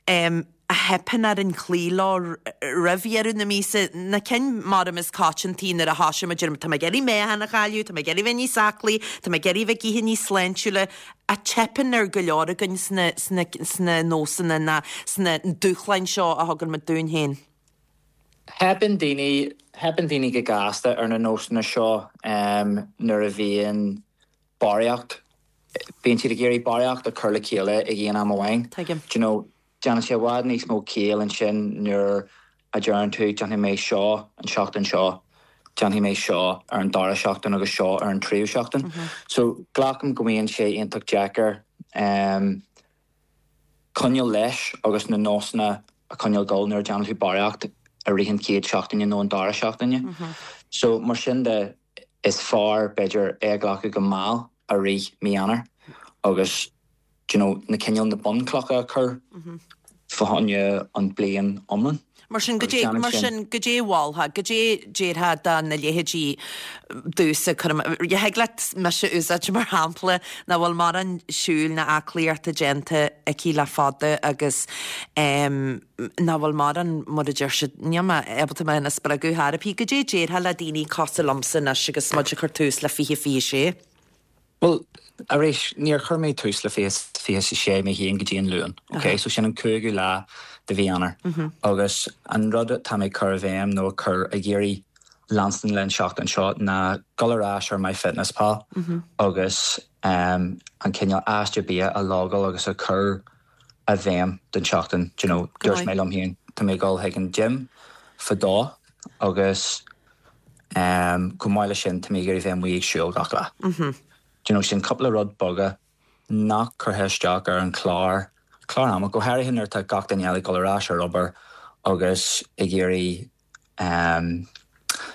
em a theipeann orainn cloí leo roimh dheireadh na míosa, na cinn mar is coitianta nuair a thosaíonn muid ar tá mé ag iarraidh meáchan a chailleadh, tá mé ag iarraidh bheith níos aclaí, tá mé ag iarraidh bheith ag ithe níos sláintiúla, a teipeann ar go leor againn sna sna sna nósanna ná sna dúshláin seo a thugann muid dúinn féin? Teipeann daoine, teipeann daoine go gasta ar na nósanna seo nuair a bhíonn barraíocht. Bíonn siad ag iarraidh barraíocht a chur le chéile ag aon am amháin. Tuigim. Do you know, déanann sé i bhfad níos mó ciall ansin nuair a deireann tú déanfaidh mé seo an seachtain seo, déanfaidh mé seo ar an dara seachtain agus seo ar an tríú seachtain. So glacaim go mbíonn sé iontach deacair em coinneáil leis agus na nósanna a choinneáil dul nuair a déanann tú barraíocht i rith an chéad seachtaine nó an dara seachtaine. So mar sin de is fearr b'fhéidir é a ghlacadh go mall i rith mí Eanáir agus do you know na cineál na bunchlocha a chur fá choinne an bliain iomlán. Mar sin, goidé, mar sin, goidé a mholfá, goidé déarfá do na leithéidí domhsa, cuirim, thig leat mise a úsáid mar shampla, nach bhfuil mórán siúil ná aclaíochta déanta aici le fada agus em nach bhfuil mórán, mar a deir siad, níl mé ábalta mé féin a spreagadh thar ar bith. Goidé déarfá le daoine cosúil liomsa anois agus muid ag cur tús le 2026? Bhuel, arís, níor chuir mé tús le 2026 mé féin go dtí an Luan, ok? So sin an cúigiú lá de mhí Eanáir. Agus an rud atá mé ag cur i bhfeidhm nó ag cur, ag iarraidh leanstan le an seachtain seo ná dul ar ais ar MyFitnessPal agus an cineál aiste bia a logáil agus a chur i bhfeidhm don tseachtain. Do you know, dúirt mé liom féin, tá mé ag dul chuig an gym fadó agus chomh maith leis sin tá mé ag iarraidh bheith amuigh ag siúl gach lá. Do you know, sin cúpla rud beaga nach curtha isteach ar an chlár, clár ama, go háirithe nuair atá gach duine eile ag dul ar ais ar obair agus ag iarraidh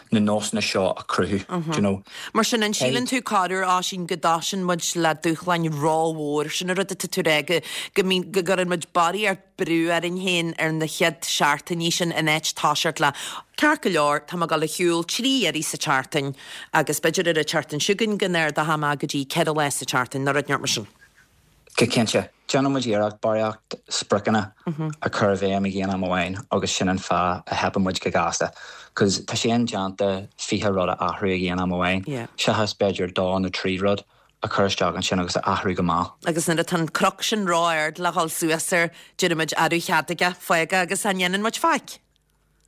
na nósanna seo a chruthú, do you know. Mar sin, an síleann tú corruair, Oisín, go dtosaíonn muid le dúshláin rómhór, sin an rud atá tú a rá, go, go mbíonn, go gcuireann muid barraíocht brú orainn féin ar na chéad seachtainí sin in áit toiseacht le, ceart go leor, tá mé ag dul a shiúl 3 iarraidh sa tseachtain agus b'fhéidir ar an tseachtain seo chugainn go n-ardóidh mé go dtí 4 lá sa tseachtain nó rud inteacht mar sin. Go cinnte. Déanann muid iarracht barraíocht spriocanna a chur i bhfeidhm ag aon am amháin agus sin an fáth a theipeann muid go gasta. Cos tá sé indéanta 20 rud a athrú ag aon am amháin, seachas b'fhéidir dó nó 3 rud a chur isteach ansin agus a athrú go mall. Agus nuair atá an cnoc sin ró-ard le dhul suas air, deirimid arú cheadaigh é, fág é agus chan dhéanann muid faic.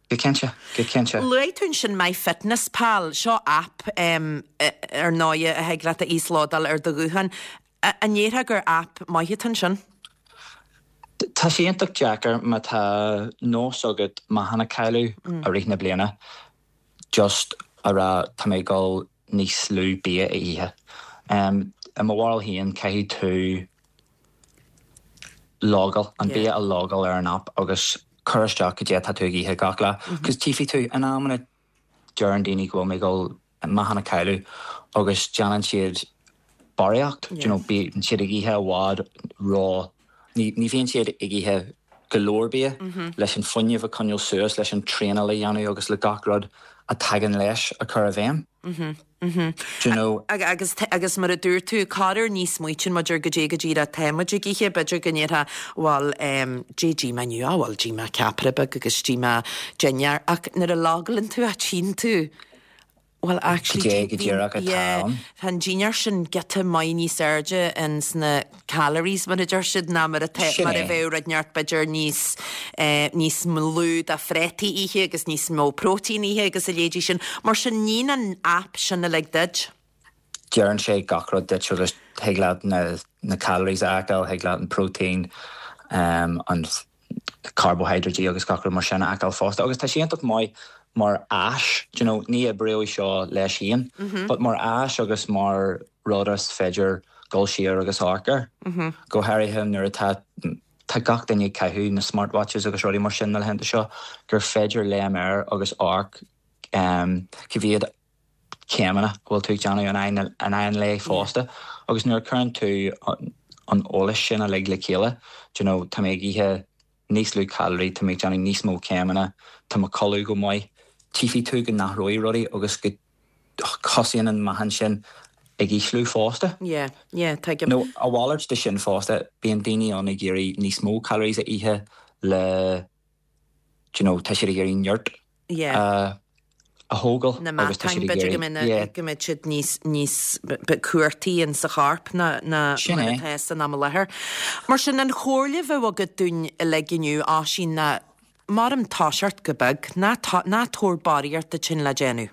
Go cinnte, go cinnte. Luaigh tú ansin MyFitnessPal, seo aip ar ndóighe a thig leat a íoslódáil ar do ghuthán. An ndéarfá gur aip maith atá ansin? Tá sé iontach deacair má tá nós agat meáchan a chailleadh i rith na bliana, just a rá tá mé ag dul níos lú bia a ithe. I mo bharúil féin caithfidh tú logáil, an bia a logáil ar an aip agus cur isteach cad é atá tú ag ithe gach lá. Cos tífidh tú, in amanna deireann daoine go bhfuil mé ag dul meáchan a chailleadh agus déanann siad barraíocht, do you know, bíonn siad ag ithe i bhfad ró, ní bhíonn siad ag ithe go leor bia leis an fuinneamh a choinneáil suas, leis an traenáil a dhéanamh agus le gach rud a tagann leis a chur i bhfeidhm. Do you know? Agus, agus mar a dúirt tú, corruair ní smaoitíonn muid ar goidé go díreach atá muid ag ithe, b'fhéidir go ndéarfá, bhuel, em, dé d'ith mé inniu, á bhuel, d'ith mé ceapaire beag agus d'ith mé dinnéar, ach nuair a logálann tú é tchíonn tú, Bhuel, actually, Goidé go díreach atá yeah, ann. tá an dinnéar sin giota maith níos airde ins na calories, mar a deir siad, ná mar atá, Sin mar a é. bheadh rud inteacht b'fhéidir níos, eh, níos lú de phréataí ithe agus níos mó próitéin ithe agus a leithéidí sin. Mar sin, níonn an app sin uilig duit. Deireann sé gach rud duit agus thig leat na, na calories a fheiceáil, thig leat an próitéin, um, an carbohydrate agus gach rud mar sin a fheiceáil fosta. Agus tá sé iontach maith mar áis, do you know, ní oibreoidh seo leis féin, but mar áis agus mar rud is féidir dul siar agus amharc air. Go háirithe nuair atá tá gach duine ag caitheamh na smartwatches agus rudaí mar sin na laethanta seo, gur féidir léim air agus amharc cá mhéad céimeanna a bhfuil tú ag déanamh in aghaidh an lae fosta agus nuair a chuireann tú an eolas sin uilig le chéile, do you know, tá mé ag ithe níos lú caloraí, tá mé ag déanamh níos mó céimeanna, tá mo chodladh go maith, tchífidh tú go n-athróidh rudaí agus go thosaíonn an meáchan sin ag ísliú fosta. Yeah, yeah, tuigim. Nó a mhalairt de sin fosta, bíonn daoine ann ag iarraidh níos mó calories a ithe le, do you know, tá siad ag iarraidh neart yeah. a thógáil na agus tá meatáin, siad ag b'fhéidir go iarraidh, yeah. mbeidh go mbeidh siad níos, níos cuartaí in sa chorp ná, ná Sin mar é. atá san am i láthair. Mar sin, an chomhairle a bheadh agat dúinn uilig inniu, Oisín, ná maram toiseacht go beag, ná, ná tabhair barraíocht duit féin le déanamh.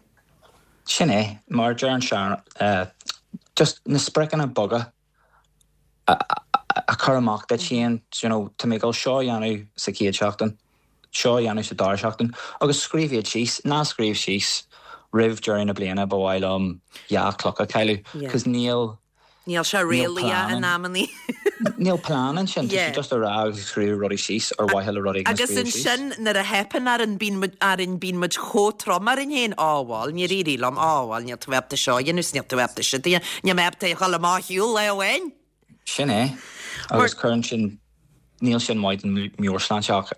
Sin é, mar a deir an sean, just na spriocanna beaga. A chur amach duit féin, you know, tá mé ag dul seo a dhéanamh sa chéad seachtain, seo a dhéanamh sa dara seachtain, agus scríobh iad síos, ná scríobh síos roimh deireadh na bliana ba mhaith liom 2 chloch a chailleadh, cos níl, Níl sé réalaíoch in amannaí. Níl plean ansin, tá sé just a rá agus ag scríobh rudaí síos ar mhaithe le rud éigin a Agus scríobh síos. ansin nuair a theipeann orainn bíonn muid orainn bíonn muid chomh trom orainn féin, á bhuel níor éirigh liom, á bhuel níl tú ábalta seo a dhéanamh 's níl tú ábalta siúd a dhéanamh, níl mé ábalta a dhul amach ar shiúl lá amháin. Sin é. Agus cuireann sin, níl sin maith don meabhairshláinte ach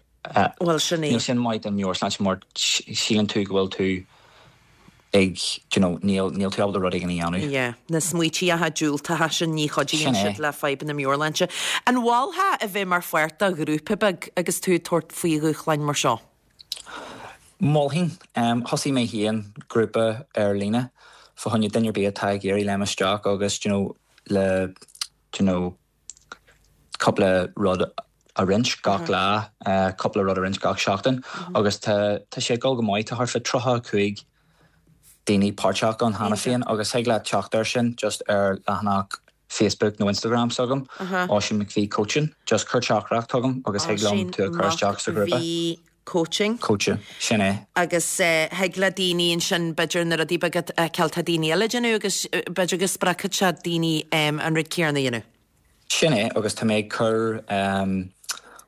Bhuel sin é. Níl sin maith don meabhairshláinte mar síleann tú go bhfuil tú ag, do you know, níl, níl tú ábalta rud éigin a dhéanamh. Yeah, na smaoitíocha diúltacha sin, ní chuidíonn Sin é. siad le fadhbanna meabhairshláinte. An mholfá a bheith mar pháirt de ghrúpa beag agus tú ag tabhairt faoi dhúshláin mar seo? Mholfainn. Thosaigh mé féin grúpa ar líne fá choinne duine ar bith atá ag iarraidh léim isteach agus, do you know, le, do you know, cúpla rud a roinnt gach lá, cúpla rud a roinnt gach seachtain agus tá tá sé ag dul go maith. Tá thart fá 35 daoine páirteach ann cheana féin agus thig leat teacht air sin just ar leathanach Facebook nó Instagram s'agam, Oisín McPhee Coaching. Just cuir teachtaireacht chugam agus thig liom Oisín tú a chur isteach sa ghrúpa. McPhee Coaching. Coaching, sin é. Agus thig le daoine ansin b'fhéidir na rudaí beaga a fheiceáil tá daoine eile ag déanamh agus b'fhéidir go spreagfadh sé daoine an rud céanna a dhéanamh. Sin é agus tá mé ag cur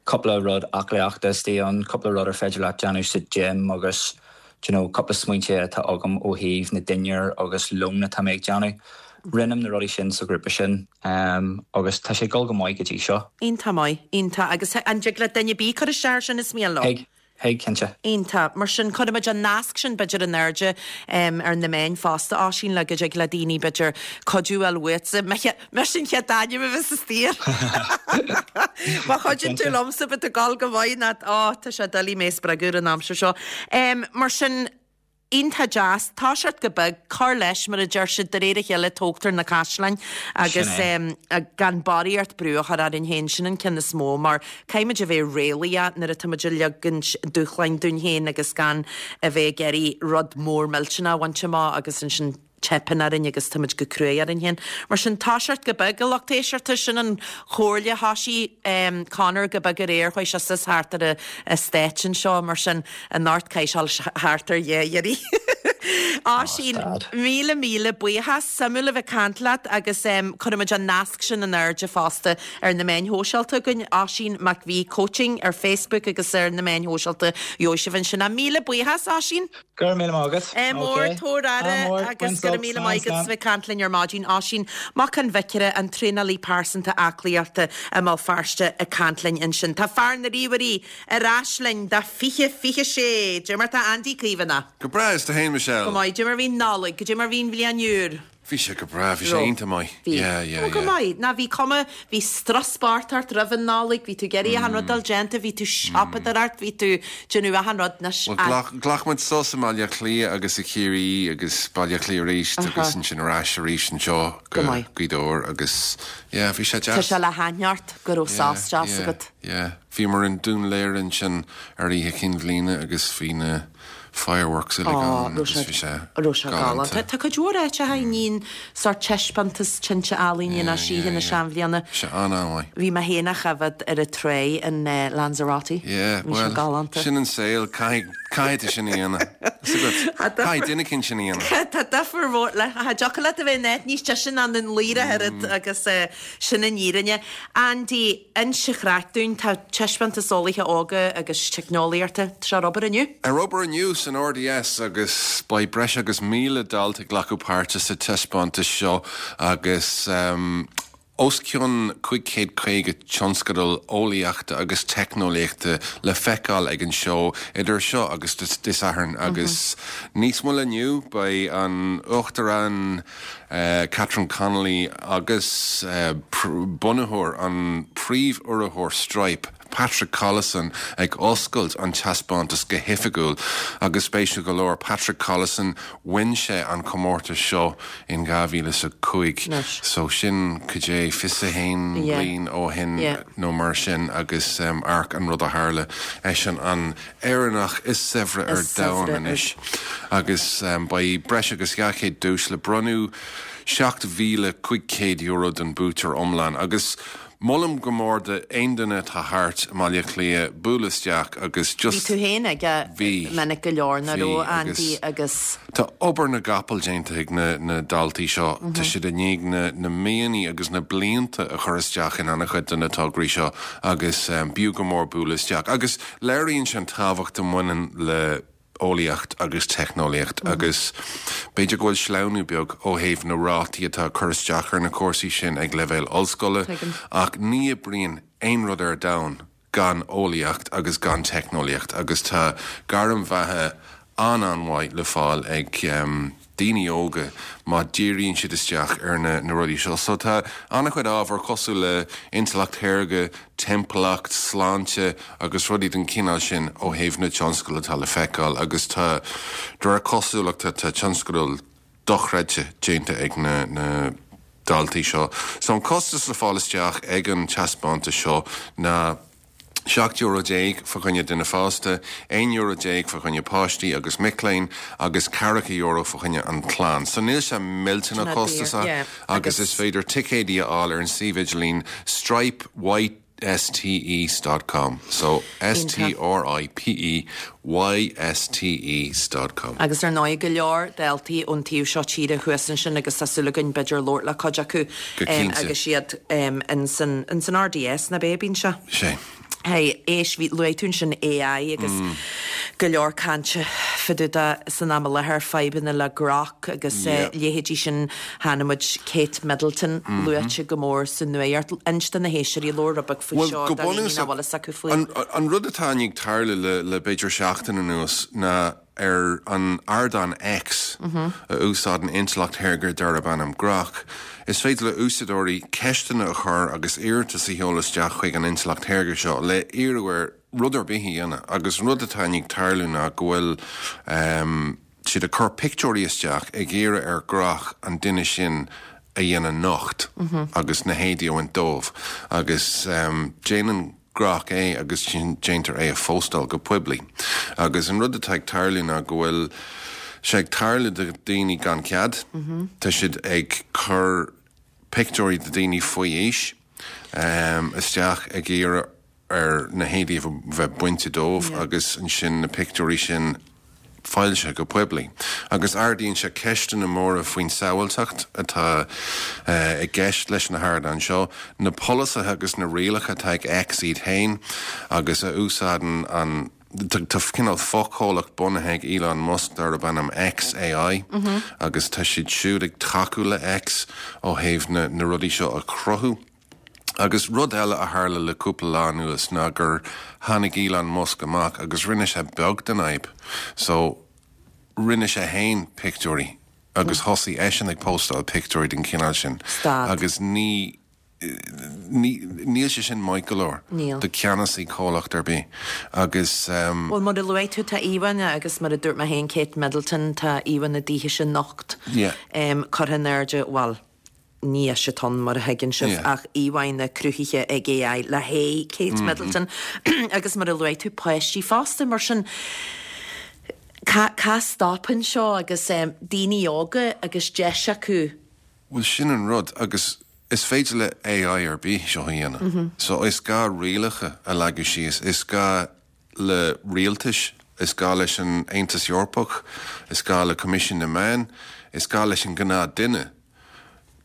cúpla rud aclaíochta istigh ann, cúpla rud ar féidir leat déanamh sa gym agus do you know cúpla smaointe atá agam ó thaobh na dinnéar agus lón atá mé ag déanamh. Roinnim na rudaí sin sa ghrúpa sin agus tá sé ag dul go maith go dtí seo. Iontach maith, iontach. Agus an dtig le duine ar bith cur isteach air sin is mian leo? Thig, thig, cinnte. Iontach. Mar sin, cuirfimid an nasc sin b'fhéidir in airde ar na meáin fosta, Oisín, le go dtig le daoine b'fhéidir cuidiú a fháil uaitse. Mise an chéad ainm a bheas istigh air. Má chuidíonn tú liomsa, beidh tú ag dul go maith, ná, ó, tá sé doiligh mé a spreagadh ar an aimsir seo. Mar sin, Iontach deas. Toiseacht go beag, cur leis, mar a deir siad, de réir a chéile tógtar na caisleáin agus gan barraíocht brú a chur orainn féin, sin an ceann is mó mar caithfimid a bheith réalaíoch nuair atáimid ag ligean dúshláin dúinn féin agus gan a bheith ag iarraidh rud mór millteanach a bhaint amach agus ansin teipeann orainn agus táimid go cruaidh orainn féin. Mar sin, toiseacht go beag, a lucht éisteachta, sin an chomhairle. Thoisigh Conor go beag aréir, chuaigh sé suas thart ar an eastát anseo, mar sin, anocht caithfidh sé dul thart ar dhá iarraidh. Oisín, míle míle buíochas, suimiúil a bheith ag caint leat agus cuirfimid an nasc sin in airde fosta ar na meáin shóisialta againn, Oisín McVie Coaching ar Facebook agus ar na meáin shóisialta, gheobhaidh sibh ansin é. Míle buíochas, Oisín! Go raibh míle maith agat. Ádh mór, tabhair aire agus go raibh míle maith agat as bheith ag caint linn ar maidin. Oisín Mac an Bhiocaire, an traenálaí pearsanta aclaíochta i mBéal Feirste ag caint linn ansin. Tá fear na ríomhairí ar ais linn do 2026. Cad é mar tá Andy Caomhánach. Go breá, is tú fhéin Michelle? Go maith. Cad é mar bhí an Nollaig, cad é mar bhí an bhliain úr. Bhí sé go breá, bhí sé iontach maith. Bhí. Yeah, yeah, Ó, go yeah. maith. Ná bhí cuma, bhí strus bocht ort roimh an Nollaig, bhí tú ag iarraidh achan rud a fháil déanta, bhí tú siopadóireacht, bhí tú déanamh achan rud anois. Bhuel, ghlac, ghlac muid sos i mBaile Átha Cliath agus i Ciarraí agus Baile Átha Cliath arís agus ansin ar ais arís anseo Go go maith. Gaoth Dobhair agus yeah, bhí sé Tá deas. sé le haithne ort go raibh Yeah, sos deas yeah, agat. yeah. Bhíomar i nDún Laoghaire ansin ar Oíche Chinn Bhliana agus bhí na fireworks uilig ann agus bhí sé raibh sé galánta. galánta. Tá cuid mhór áiteacha a níonn sórt taispeántas tinte ealaíne ná Yeah, oíche yeah, na yeah. seanbhliana. Bhí sé an-an-mhaith. Bhí mé féin á choimhéad ar an tráigh in Lanzarote. Yeah, Bhí sé bhuel, galánta. sin an saol, caithfidh, caithfidh tú sin a dhéanamh. Is agat, caithfidh duine éicint sin a dhéanamh. Tá difear mhór le, cha dtiocfadh leat a bheith in áit níos deise ná Dún Laoghaire ach oiread agus sin an fhírinne. Andy, Inis an chraic dúinn, tá taispeántas eolaithe óga agus teicneolaíochta, tá sé ar obair inniu. Ar obair inniu san RDS agus beidh breis agus 1,000 dalta ag glacadh páirte sa taispeántas seo agus os cionn 550 tionscadal eolaíochta agus teicneolaíochta le feiceáil ag an seó idir seo agus Dé Sathairn agus níos moille inniu beidh an Uachtarán Catherine Connolly agus bunaitheoir an príomhurraitheoir Stripe, Patrick Collison ag oscailt an taispeántas go hoifigiúil agus spéisiúil go leor, Patrick Collison, bhain sé an comórtas seo in 2005 so sin cad é 21 bliain ó shin nó mar sin agus amharc an rud a tharla, eisean an Éireannach is saibhre ar domhan anois agus beidh breis agus 200 duais le bronnadh. €7,500 don buaiteoir iomlán agus molaim go mór do aon duine atá thart i mBaile Átha Cliath bualadh isteach agus just Bhí tú féin aige Bhí. minic go leor nach Bhí raibh agus Andy agus. Tá obair na gcapall déanta ag na na daltaí seo. Tá siad i ndiaidh na na míonna agus na blianta a chur isteach in an-chuid de na tograí seo agus b'fhiú go mór bualadh isteach. Agus léiríonn sé an tábhacht a bhaineann le eolaíocht agus teicneolaíocht agus b'fhéidir go bhfuil sleamhnú beag ó thaobh na rátaí atá ag cur isteach ar na cúrsaí sin ag leibhéal ollscoile ach ní oibríonn aon rud ar domhan gan eolaíocht agus gan teicneolaíocht agus tá gairm bheatha an-an-mhaith le fáil ag daoine óga má dhíríonn siad isteach ar na na rudaí seo. So tá an-chuid ábhar cosúil le intleacht shaorga, timpeallacht, sláinte agus rudaí den chineál sin ó thaobh na tionscadail atá le feiceáil agus tá, de réir cosúlachta, tá tionscadail dochreidte déanta ag na na daltaí seo. So an costas le fáil isteach ag an taispeántas seo ná. €17 euro fa choinne duine fásta, €11 euro fa choinne páistí agus mic léinn agus ceathracha euro fa choinne an chlann. So níl sé millteanach costasach agus is féidir ticéidí a fháil ar an suíomh idirlín stripe ystes dot com. So S T R I P E Y S T E dot com. Agus ar ndóigh go leor daltaí ón taobh seo tíre thuas ansin agus tá súil againn b'fhéidir labhairt le cuid acu Go cinnte. agus iad ins an RDS nach b'é a bíonn sé? Sé. Hey, éist, bhí, luaigh tú ansin AI agus go leor cainte fá dtaobh de san am i láthair, fadhbanna le Grok agus leithéidí sin. Chonaic muid Kate Middleton luaite go mór sa nuacht. Inis do na héisteoirí, labhair rud beag faoi Bhuel, seo go do dhaoine bunúsach, nach bhfuil fhios acu faoi. an, an rud atá i ndiaidh tarlú le, le b'fhéidir seachtain anuas ná ar an ardán X, a úsáideann intleacht shaorga darb ainm Grok, is féidir le úsáideoirí ceisteanna a chur agus iarratas a sheoladh isteach chuig an intleacht shaorga seo le iarraidh air rud ar bith a dhéanamh agus an rud atá i ndiaidh tarlú ná go bhfuil siad ag cur pictiúirí isteach ag iarraidh ar Grok an duine sin a dhéanamh nocht agus na héadaí a bhaint dóibh agus déanann Grok é agus déantar é a phóstáil go poiblí. Agus an rud atá ag tarlú ná go bhfuil sé ag tarlú do dhaoine gan cead, tá siad ag cur pictiúirí de dhaoine faoi aois isteach ag iarraidh ar na héadaí a bheith bainte dóibh agus ansin na pictiúirí sin foilsithe go poiblí. Agus ardaíonn sé ceisteanna móra faoin tsábháilteacht atá i gceist leis na hardáin seo, na polasaithe agus na rialacha atá ag X iad féin agus a úsáideann an Tá cineál fochomhlacht bunaithe ag Elon Musk darb ainm XAI agus tá siad siúd ag tacú le X ó thaobh na rudaí seo a chruthú. Agus rud eile a tharla le cúpla lá anuas ná gur tháinig Elon Musk amach agus rinne sé beag den fhadhb. So, rinne sé fhéin pictiúirí agus thosaigh eisean ag póstáil pictiúirí den chineál sin. Stad. Agus ní, ní, níl sé sin maith go leor Níl. do cheannasaí comhlacht ar bith. Agus. Bhuel, mar a luaigh tú, tá íomhánna agus mar a dúirt mé féin, Kate Middleton, tá íomhánna daoithe sin nocht, Yeah. curtha in airde, bhuel, Ní ise atá ann, mar a thuigeann sibh, ach íomhánna cruthaithe ag AI le haghaidh Kate Middleton agus mar a luaigh tú, páistí fosta. Mar sin, cá, cá stopann seo agus daoine óga agus deis acu? Bhuel, sin an rud agus is féidir le AI ar bith seo a dhéanamh. So is gá rialacha a leagadh síos, is gá le rialtais, is gá leis an Aontas Eorpach, is gá le Coimisiún na Meán, is gá leis an gnáth duine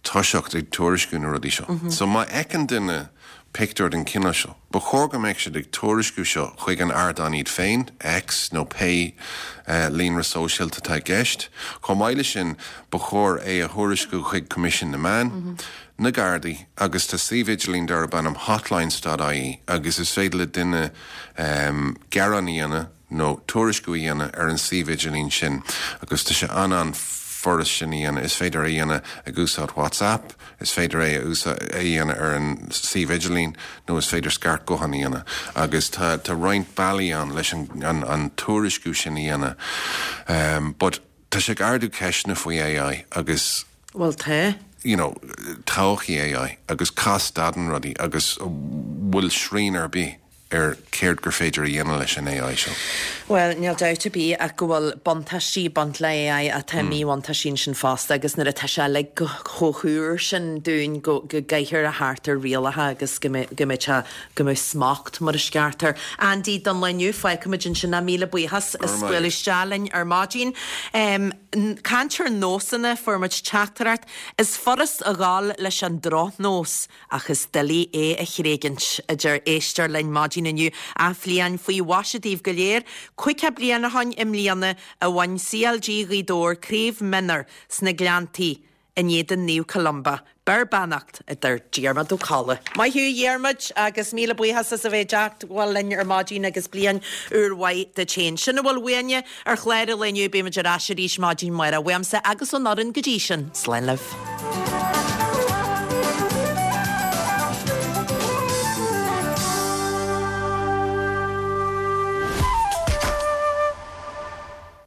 toiseacht ag tuairisciú na rudaí seo. So má fheiceann duine pictiúr den chineál seo, ba chóir go mbeadh siad ag tuairisciú seo chuig an ardán iad féin, X nó pé líonra sóisialta atá i gceist. Chomh maith leis sin, ba chóir é a thuairisciú chuig Coimisiún na Meán, na Gardaí agus tá suíomh idirlín darb ainm hotlines.ie agus is féidir le duine gearán a dhéanamh nó tuairisciú a dhéanamh ar an suíomh idirlín sin agus tá sé an-an-fhurast sin a dhéanamh. Is féidir é a dhéanamh ag úsáid WhatsApp, is féidir é a dhéanamh ar an suíomh idirlín nó is féidir scairt gutháin a dhéanamh agus tá tá roinnt bealaí ann leis an an tuairisciú sin a dhéanamh. But tá sé ag ardú ceisteanna faoi AI agus. Bhuel tá. you know, todhchaí AI agus cá stadann rudaí agus bhfuil srian ar bith. ar céard gur féidir a dhéanamh leis an AI seo. Bhuel, níl dabht ar bith ach go bhfuil buntáistí ag baint le AI ach tá míbhuntáistí ansin fosta agus nuair atá sé uilig chomh húr sin dúinn go gcaithfear a theacht ar rialacha agus go mbeidh sé, go mbeidh smacht mar is ceart air. Andy, don lá inniu, fágfaimid ansin é. Míle buíochas as bualadh isteach linn ar maidin. Caint ar nósanna, fuair muid teachtaireacht, is furast a dhul leis an drochnós ach is doiligh é a thréigint, a deir éisteoir linn maidin inniu. Athbhliain faoi mhaise daoibh go léir. 50 bliain ó shoin i mbliana a bhain CLG Ghaoth Dobhair Craobh Mionúr sna Gleanntaí in éadan Naomh Columba. Beir beannacht, a deir Diarmaid Ó Colla. Maith thú a Dhiarmaid agus míle buíochas as a bheith ag teagmháil linn ar maidin agus bliain úr mhaith duit féin. Sin a bhfuil uainne ar chlár an lae inniu, beimid ar ais arís maidin amárach. Uaimse agus ón fhoireann go dtí sin, slán libh.